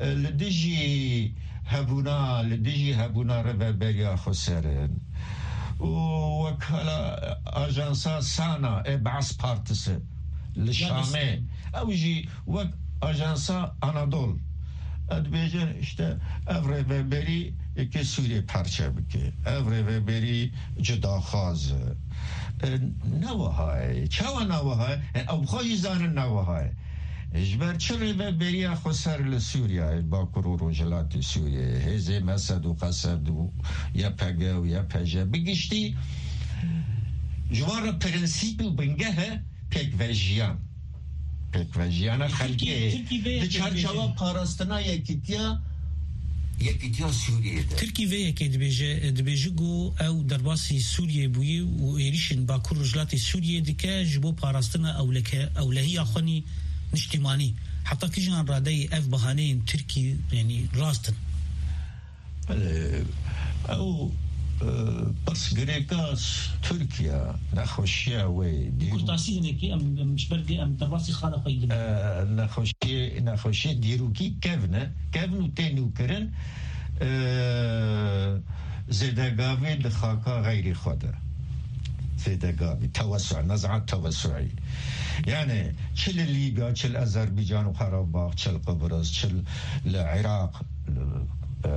e, li dijî hebûna, li dijî hebûna rêveberiya xweser in. Û wekala ajansa Sana ê Baas Partisi li Şamê, ew jî wek ajansa Anadol, e, dibêjin, işte, ev rêveberî yekê Sûriyê parçe bike. Ev rêveberî cudaxwaz e. E, ne wiha ye. Çawa ne wiha ye? E, ew xwe jî zanin ne wiha ye. Ji ber çi rêveberiya xweser li Sûriyeyê, Bakur û Rojhilatê Sûriyeyê, hêzê Mesed û Qesed û Y P G û Y P J bi giştî, ji wan re prensîp û bingeh e pêkvejiyan. Pêkvejiyana xelkê Tirkî, Tirkî vê di yekê çarçewa dibêje. Parastina yekîtiya, yekîtiya Sûriyê de. Tirkî vê yekê dibêje, dibêje ku ew derbasî Sûriyê bûye û êrîşên Bakur Rojhilatê Sûriyê dike ji bo parastina ewleke-, ewlehiya xwe nî niştîmanî. Heta kîjan radeyê ev bahaneyên Tirkî, yanî, rast in? Belê, ew, e, pirsgirêka Tirkiye, nexweşiya wê, dîrok- Kurtasî hinekî, em, em ji ber vê em derbasî xala xwe yî E, nexweşiyê, nexweşiyê dîrokî kevn e, kevn û tê nûkirin, e, zêdegavê di xaka xeyrî xwe de. Zêdegavî, tewessu, nezaet tewessuî. Yani, çi li Lîbya, çi li Azerbaycan û Qarabax, çi li Qibris, çi li Iraq, e,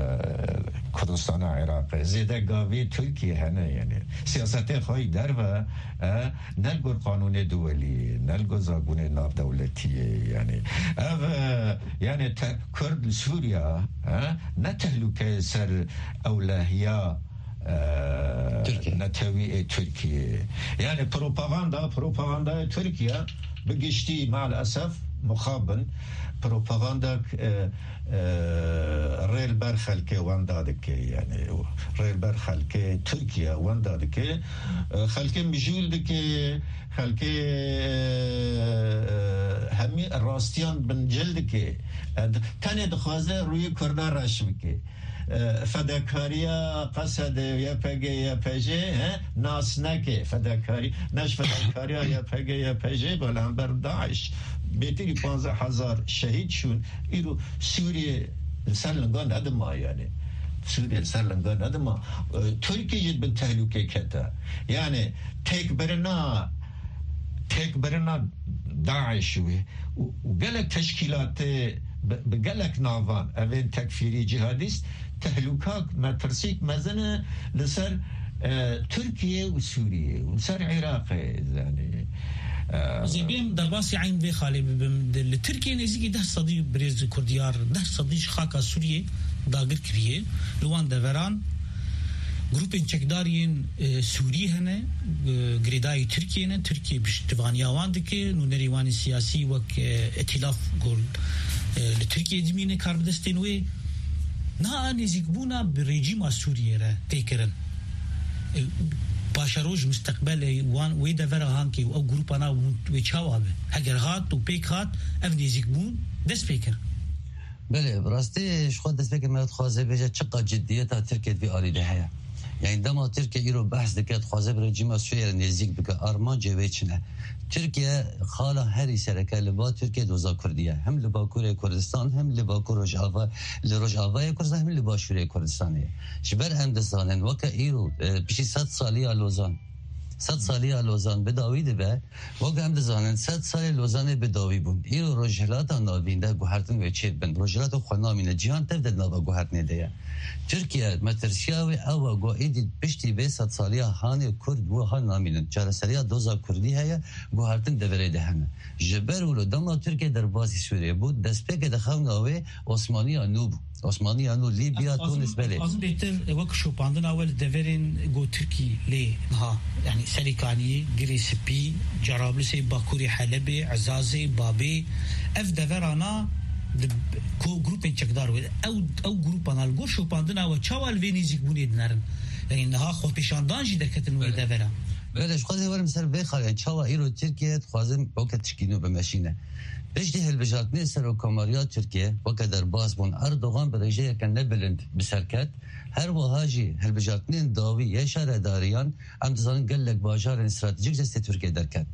Kurdistana Iraqê, zêdegavê Tirkiye hene, yani. Siyasetê xwe yî derve, e, ne li gor qanûnê duwelî, ne li gor zagonê navdewletiyê, yani. Ev, e, yani, te-, Kurd li Sûriya, e, ne tehlûkeyê ser ewlehiya, e, Tirkiye. Netewî ê Tirkiye. Yani, propaganda, propagandaya Tirkiye bi giştî, maalesef, mixabin, propaganda, e, e, rê li ber xelkê wenda dike, yani, rê li ber xelkê Tirkiye wenda dike, e, xelkê mijûl dike, xelkê, e, e, hemî rastiyan bincil dike. E, d-, tenê dixwaze rûyê Kurda reş bike. E, fedakariya Qesedê, Y P G, Y P J, he, nas neke. Fedakarî, ne ji fedakariya Y P G, Y P J, belember DAIŞ. Bêtirî panzdeh hezar şehîd çûn. Îro Sûriyê li ser linga nedima, yani. Sûriyê li ser linga nedima. E, Tirkiye jî bin tehlûkê kete. Yani, têkbirina, têkbirina DAIŞ û, û, û gelek teşkîlatê bi, bi gelek navan, evên tekfîrî, cihadîst, tehlûka, metirsîk mezin e li ser, e, Tirkiye û Sûriye û li ser Iraqê, yani, e, Ez ê bêm derbasî eyn vê xalê bibim. Di, li Tirkiye nêzîkî deh sedî birêz kurdiyar, deh sedî ji xaka Sûriyê dagir kiriye. Li wan deveran grûpên çekdar yên, e, Sûrî hene, e, girêdayî Tirkiyê ne. Tirkiye piştivaniya wan dike. Nûnerê wan ê siyasî wek, e, îtîlaf ku, e, li Tirkiyê dimîne karbidestên wê. Niha nêzîkbûna bi rejîma Sûriyê re tê kirin. E, paşeroja misteqbelê wan wê devera hankê û ew grûpana hûn wê çawa be? Heger hat û pêk hat, ev nêzîkbûn dest pê kir. Belê, bi rastî ji xwe destpêkê me dixwaze bêje çiqa ciddiyeta Tirkiye di vî alî de heye. Yani dema Tirkiye îro behs dike, dixwaze bi rejîma Sûriyê re nêzîk bike, armancê wê çi ne? Tirkiye xala herî sereke li ba Tirkiye doza Kurdî ye. Hem li Bakurê Kurdistan, hem li Bakur Rojava, li Rojavayê Kurdistan, hem li Başûrê Kurdistanê ye. Ji ber em dizanin, weke îro, e, piştî sed saliya Lozan, sed saliya Lozan bi dawî dibe, wek em dizanin, sed salê Lozanê bi dawî bûn. Îro Rojhilata Navîn de guhertin wê çêdibin. Rojhilata xwe namîne, cîhan tev de di nava guhertinê de ye. Tirkiye, metirsiya wê ew e ku êdî piştî vê sed saliya hanê Kurd wiha namînin. Çareseriya doza Kurdî heye, guhertin deverê de hene. Ji ber wilo dema Tirkiye derbasî Sûriyê bû, destpêkê di xewna wê Osmaniya nû bû. Osmaniya nû, Lîbya, Tunis, belê. Ez dixwazim bêtir wek şopandina we li deverên ku Tirkî lê niha, yani Serêkaniyê, Girê Spî, Cerablisê, Bakurê Helebê, Ezazê, Babê, ev deverana di ko-, grûpên çekdar wê. Ew, ew grûpana li gor şopandina we çawa li vê nêzîkbûnê dinerin? Yani niha xwepêşandan jî derketin wê Belê. devera. Belê, ji xwe dê werim ser vê xalê. Çawa îro Tirkiye dixwazin weke tişkî nû bimeşîne? Piştî hilbijartinê serokkomariya Tirkiye weke derbas bûn, Erdogan bi rêjeyeke nebilind bi ser ket. Her wiha jî hilbijartinên dawî yê şaredariyan, em dizanin gelek bajarên stratejîk destê Tirkiye derket.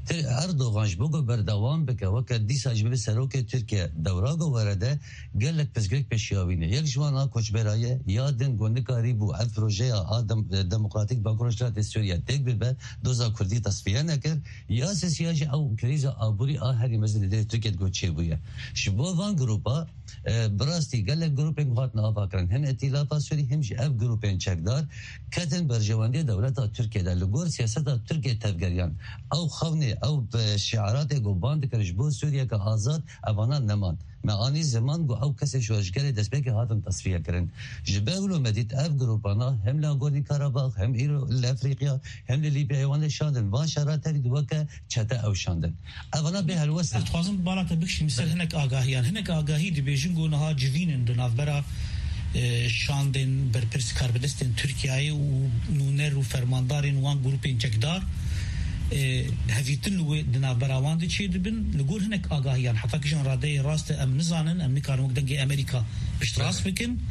Erdogan ji bo ku berdewam bike, weke dîsa jî bibe serokê Tirkiye, dewra ku were de gelek pirsgirêk pêşiya wî ne. Yek ji wan a koçbera ye, ya din ku nikarîbû ev projeya a dem-, demokratîk Bakur Rojhilatê Sûriye têk bibe, doza Kurdî tesfiye nekir. Ya sisiya jî ew krîza aborî a herî mezin li derê Tirkiye digot çêbûye. Ji bo van grupa, e, bi rastî gelek grûpên ku hatin avakirin, him Îtîlafa Sûrî, him jî ev grûpên çekdar ketin berjewendiya dewleta Tirkiye de. Li gor siyaseta Tirkiye tevgeriyan, ew xewnê, ew, e, şiaratê ku ban dikir ji bo Sûriyeke azad, evana neman. Me anî ziman ku ew kesê şoreşgerê destpêkê hatin tesfiye kirin. Ji ber wilo me dît ev grûpana hem li Nagorno-Karabakh, hem îro li Efrîqiya, hem li Lîbyayê wan şandin. Van şera tevî di weke çete ew şandin. Evana bê helwest in. Ez dixwazim bala te bikişînim ser hinek agahiyan. Hinek agahî dibêjin ku niha civîn in di navbera, e, şandên berpirs karbidestên Tirkiyeyê û nûner û fermandarên wan grûpên çekdar, e, hevîtin li wê di navbera wan de çêdibin. Li gor hinek agahiyan, heta kîjan radeyê rast e em nizanin, em nikarin wek dengê Amerîka piştrast bikin.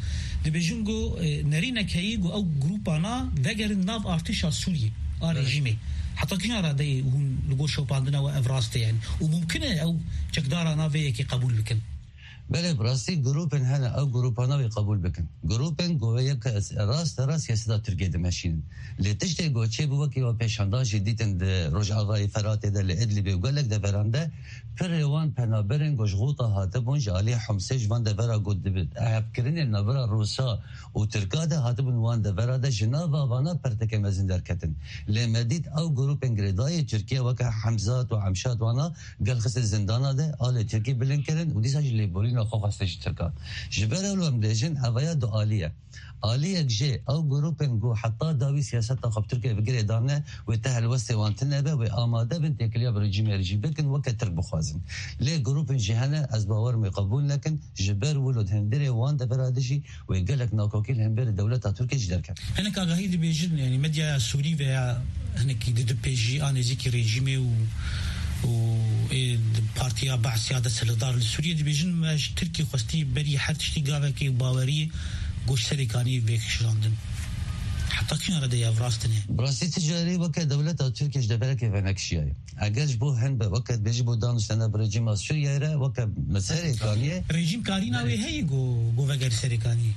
Dibêjin ku, e, nerînek heyî ku ew grûpana vegerin nav artêşa Sûriyê a rejîmê. Heta kîjan radeyê hûn li gor şopandina we ev rast e, yani? Û mumkin e ew çekdarana vê yekê qebûl bikin? Belê, bi rastî grûpên hene, ew grûpana wê qebûl bikin. Grûpên ku wê yek rast rast siyaseta Tirkiyê dimeşînin. Lê tiştê ku çêbû, wekî we pêşandan jî dîtin di Rojavayê Feratê de, li Idlibê û gelek deveran de, pirê wan penaberên ku ji Xûta hatibûn, ji alî Homsê ji van devera ku di hevkirinê navbera Rûsa û Tirka de hatibûn wan devera de, ji nava vana pirteke mezin derketin. Lê me dît ew grûpên girêdayî Tirkiye weke Hemzat û Emşat wana gel xistin zindana de, alê Tirkî bilind kirin û dîsa jî lêborîna xwe xwestin ji Tirkan. Ji ber ew em dibêjin, evaya dualî ye. Aliyek jê ew grûpên ku heta dawî siyaseta xwe bi Tirkiye bi girê dane, wê ti helwestê wan tune be, wê amade bin têkiliya bi rejîmê re jî bikin, weke Tirk bixwazin. Lê grûpên jî hene, ez bawer im wê qebûl nekin, ji ber wilo di hundirê wan devera de jî wê gelek nakokî li hemberî dewleta Tirkiyê jî derket. Hinek agahî dibêjin, yani medyaya Sûrî veya hinekî didipêjî a nêzîkî rejîmê û, û ê di partiya Baas ya desthilatdar li Sûriyê dibêjin, me ji Tirkiyê xwestî berî her tiştî gavekê û baweriyê goş serê kaniyê vekişandin. Heta kîjan re de ev rast e? Bi rastî ti carî weke dewleta Tirkiye ji deverekê venekişiyaye. Eger ji bo hin be, weke dibêjî bo daniştene bi rejîma Sûriyeyê re, weke me serê kaniyê. Rejîm karîna wê heye ku, ku vegere serê kaniyê?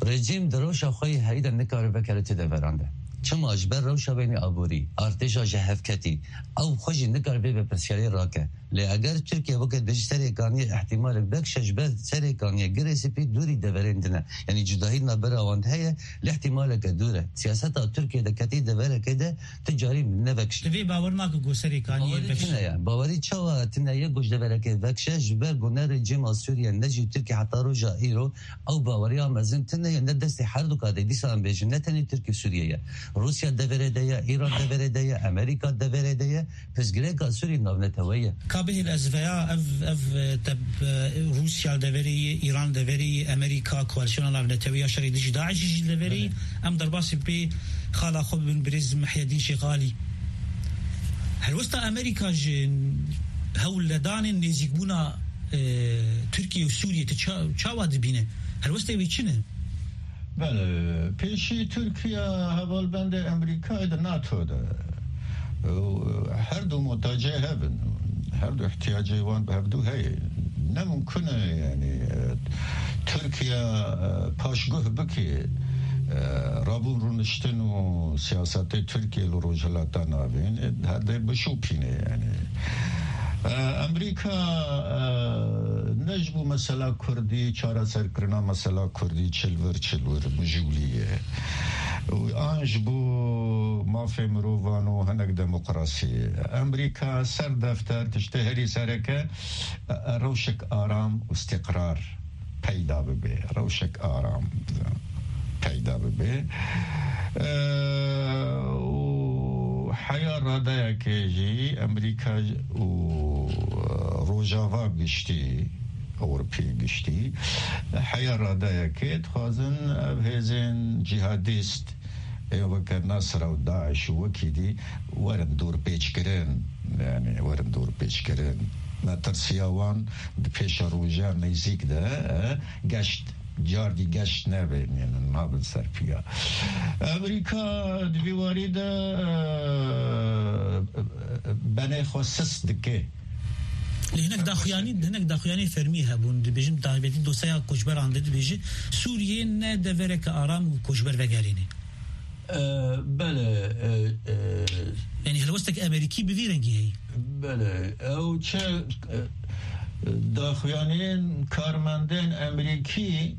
Rejîm di rewşa xwe yê heyî de nikare vekere ti deveran de. Çima? Ji ber rewşa wê yê aborî, artêşa ji hev ketî, ew xwe jî nikare vê berpirsyariyê rake. Lê eger Tirkiye weke dibêjî serê kaniyê îhtimalek vekişe, ji ber serê kaniyê girê spî dûrî deverên din e. Yanî cudahî navbera wan de heye, lê îhtimaleke dûr e. Siyaseta Tirkiye de ketî deverekê de ti carî nevekişe. Divê bawer nake ku serê kaniyê Bawerî vekişe. Tune ye. Bawerî çawa tune ye ku ji deverekê vekişe? Ji ber ku ne rejîma Sûriye ne jî Tirkiye heta roja îro ew baweriya mezin tune ye, ne destê her du kadê. Dîsa em bêjin, ne tenê Tirkiye û Sûriye ye. Rûsya deverê de ye, Îran deverê de ye, Amerîka deverê de ye. Pirsgirêka Sûrî navneteweyî ye. Ka bihêl ez veya ev, ev, e, teb-, e, Rûsya li deverê yê, Îran li deverê yê, Amerîka, koalîsyona navneteweyî ya şerê dijî DAIŞ'î jî li deverê yê. Belê. Em derbasî bê xala xwe bibin birêz Mihyedîn Şêxalî. Helwesta Amerîka ji hewldanên nêzîkbûna, e, Tirkiye û Sûriyê tu ça-, çawa dibîne? Helwestê wê çi ne? Belê, pêşî Tirkiye hevalbendê Amerîkayê di NATO de. Û her du muhtacê hev in. Her du ihtiyacê wan bi hevdu heye. Ne mumkin e, yani, e, Tirkiye, e, paşguh bike, e, rabûn rûniştin û siyasetê Tirkiye li Rojhilata Navîn, e, herdê bişopîne, yani. E, Amerîka, e, ne ji bo mesela Kurdî, çareserkirina mesela Kurdî çil vir çil wir mijûlî ye. Û an ji bo mafê mirovan û hinek demokrasiyê. Amerîka ser defter tiştê herî sereke, e, rewşek aram û îstîqrar peyda bibe. Rewşek aram peyda bibe. E, û heya radeyekê jî Amerîka û Rojava giştî, Ewropê giştî, heya radeyekê dixwazin ev hêzên cîhadîst ê weke Nasra û DAIŞ û wekî dî werin dorpêçkirin, yani werin dorpêçkirin. Metirsiya wan di pêşeroja nêzîk de, e, geşt, cardî geşt nebe, yani nabin ser piya. Amerîka di vî warî de, e, benê xwe sis dike. Lê hinek daxuyanî, hinek daxuyanî fermî hebûn. Dibêjin, taybetî dosyaya koçberan de dibêje, Sûriyê ne devereke aram û koçber vegerîne. E, belê, e, e, Yanî helwestek Amerîkî bi vî rengî heye. Belê, ew çi, e, daxuyaniyên karmendên Amerîkî,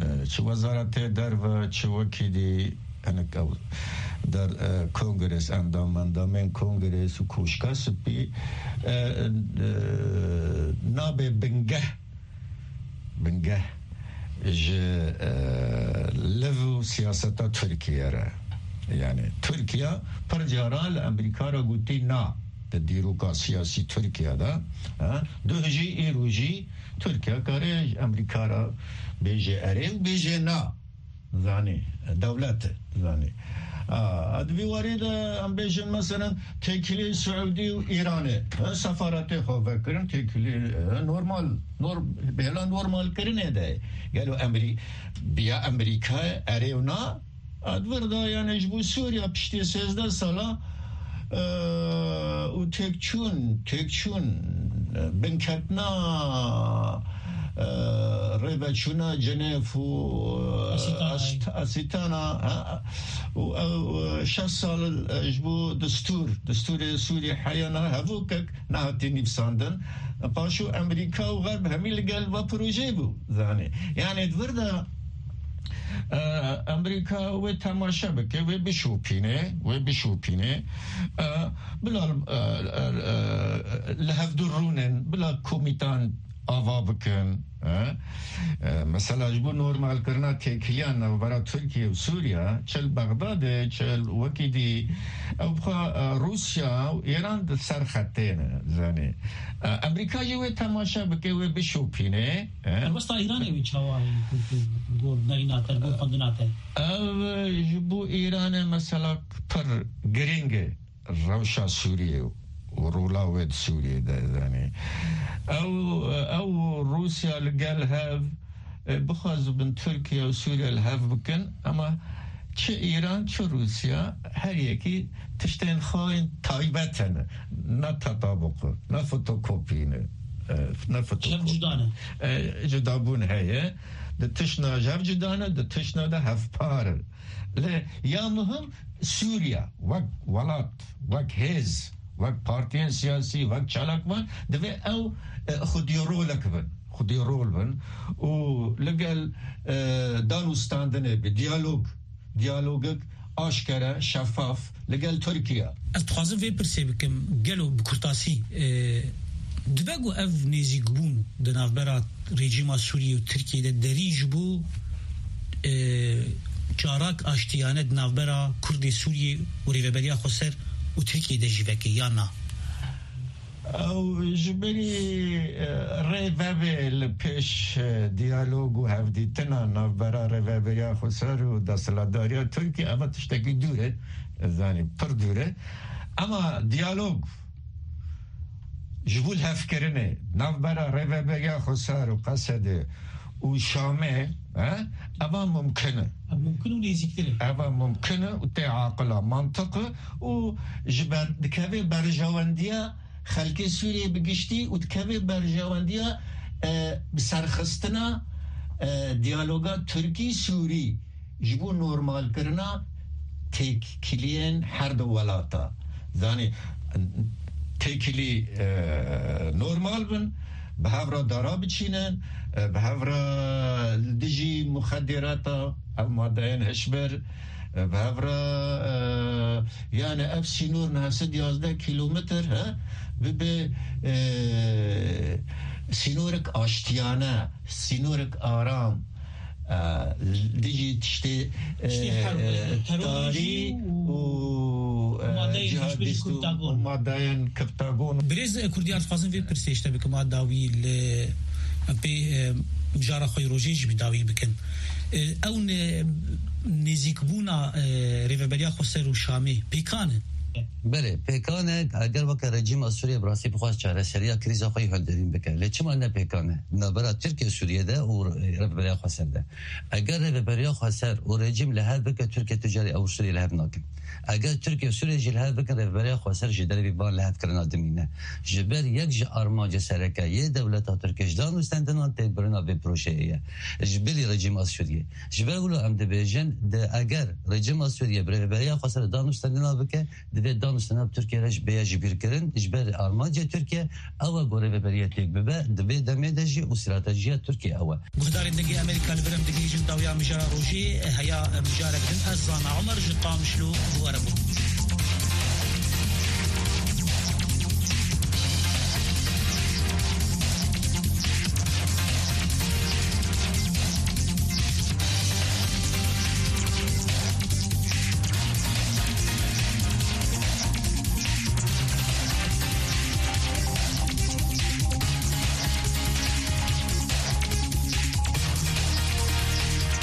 e, çi wezaretê derve, çi wekî dî, hinek ew der, e, kongres, endam, endamên kongres û Koşka Spî, e, e, nabê bingeh, bingeh ji, e, liv û siyaseta Tirkiye re. Yani Tirkiye pir caran li Amerîka re gotî na di dîroka siyasî Tirkiye de, e, duh jî îro jî Tirkiye kare ji Amerîka re bêje erê û bêje na. Zanî, dewlet e, zanî. A, di vî warî de em bêjin, meselen, têkilî Siûdî û Îranê, e, sefaretê xwe vekirin, têkilî, e, normal, nor-, bêla normalkirinê de. Gelo Emerî-, biya Emerîka erê û na, a, di vir de, yani, ji bo Sûriya piştî sêzdeh sala, e, û têkçûn, têkçûn, e, binketina, e, rêveçûna Cenêv û, e, Asîtana. Ast-, Asîtana, ha, û ew, e, şeş sal, e, ji bo destûr, destûrê Sûrî heyana hevokek nehatî nivîsandin. Paşo Amerîka û Xerb hemî li gel va projeyê bû, zanî. Yani di vir de, e, Amerîka wê temaşe bike, wê bişopîne, wê bişopîne. E, bila, e, e, e, li hevdû rûnin, bila komîtan ava bikin, e? E, mesela ji bo normalkirina têkiliya navbera Tirkiye û Sûriye, çi li Bexdadê, çi li wekî dî, ew bi xwe, e, Rûsya û Îran di ser xetê ne, zanî. E, Amerîka jî wê temaşe bike, wê bişopîne, e? Helwesta Îranê wê çawa ye, ku, ku, gor neyna te, gor xwendina te? Ev ji bo Îranê mesela pir girîng e. Rewşa Sûriyê û rola wê di Sûriyê de, zanî. Ew, ew Rûsya li gel hev, e, bixwazibin Tirkiye û Sûriye li hev bikin, ama çi Îran, çi Rûsya, her yekî tiştên xwe yên taybet hene. Ne tetabuq, ne fotokopî ne. E, ne fotokopî. Hev cuda ne. E, cudabûn heye. Di tiştna ji hev cuda ne, di tiştna de hevpar in. Lê ya muhim, Sûriye wek welat, wek hêz, wek partiyên siyasî, wek çalakvan divê ew, e, xwedî rolek bin, xwedî rol bin û li gel, e, dan û standinê bi diyalog, diyalogek aşkere, şefaf li gel Tirkiye. Ez dixwazim vê pirsê bikim, gelo bi kurtasî, e, dibe ku ev nêzîkbûn di navbera rejîma Sûriyê û Tirkiyê de derî ji bo, e, carak aştiyane di navbera Kurdê Sûriyê û Rêveberiya Xweser û Tirkiyê de jî veke ya na? Ew ji berî, e, rê vebe li pêş, e, diyalog û hevdîtina navbera Rêveberiya Xweser û desthilatdariya Tirkiyê, eva tiştekî dûr e, zanî, pir dûr e. Ema diyalog ji bo lihevkirinê navbera Rêveberiya Xweser û Qesedê û Şamê, e, eva mumkin e. Ev mumkin û nêzîktir e. Eva mumkin e û tê aqila, mantiq e û ji ber, dikeve berjewendiya xelkê Sûriyê bi giştî û dikeve berjewendiya, e, bi serxistina, e, diyaloga Tirkî-Sûrî. Ji bo normalkirina têkiliyên her du welata. Zanî, têkilî, e, normal bin, bi hev re dara biçînin, e, bi hev re li dijî muxedîrata, ev madeyên hişbir, e, bi hev re, e, yani ev sînor neh sed yazdeh kîlometr, he, bibe, e, sînorek aştiyane, sînorek aram, e, dijî tiştê, e, Tiştê herb, e, terorê tarî jî û, û, e, madeyên hişbir ji cihadîst û, Kurtagon. Û madeyên Kurtagon. Birêz, e, Kurdiyar, dixwazim vê pirsê ji te bikim a dawî li, em pê, e, mijara xwe yê rojê jî bi dawî bikin. E, ew ne-, nêzîkbûna, e, Rêveberiya Xweser û Şamê pêkan e? Belê, pêkan e, eger weke rejîma Sûriyê bi rastî bixwast çareseriya krîza xwe yî hilderîn bike. Lê çima ne pêkan e? Navbera Tirkiye û Sûriyê de û Rêveberiya Xweser de. Eger Rêveberiya Xweser û rejîm li hev bike, Tirkiye tu carî ew Sûriyê li hev nakin. Eger Tirkiye û Sûriyê jî li hev bikin, Rêveberiya Xweser ji dervî van li hev kirina dimîne. Ji ber yek ji armancê sereke yê dewleta Tirkiye ji dan û stendinan têkbirina vê projeyê ye. Ji bilî rejîma Sûriyê. Ji ber wilo em dibêjin, di eger rejîma Sûriyê bi Rêveberiya Xweser de dan û stendina bike, divê dan û stendina bi Tirkiye re jî bêye jibîrkirin. Ji ber armancê Tirkiye ew e ku rêveberiye têk bibe, di vê demê de jî û stratejiya Tirkiye ew e. Guhdarên Dengê Amerîka li vir em digihîjin dawiya mijara rojê, heya mijarek din ez Zana Omer ji Qamişlo ji we re bûm.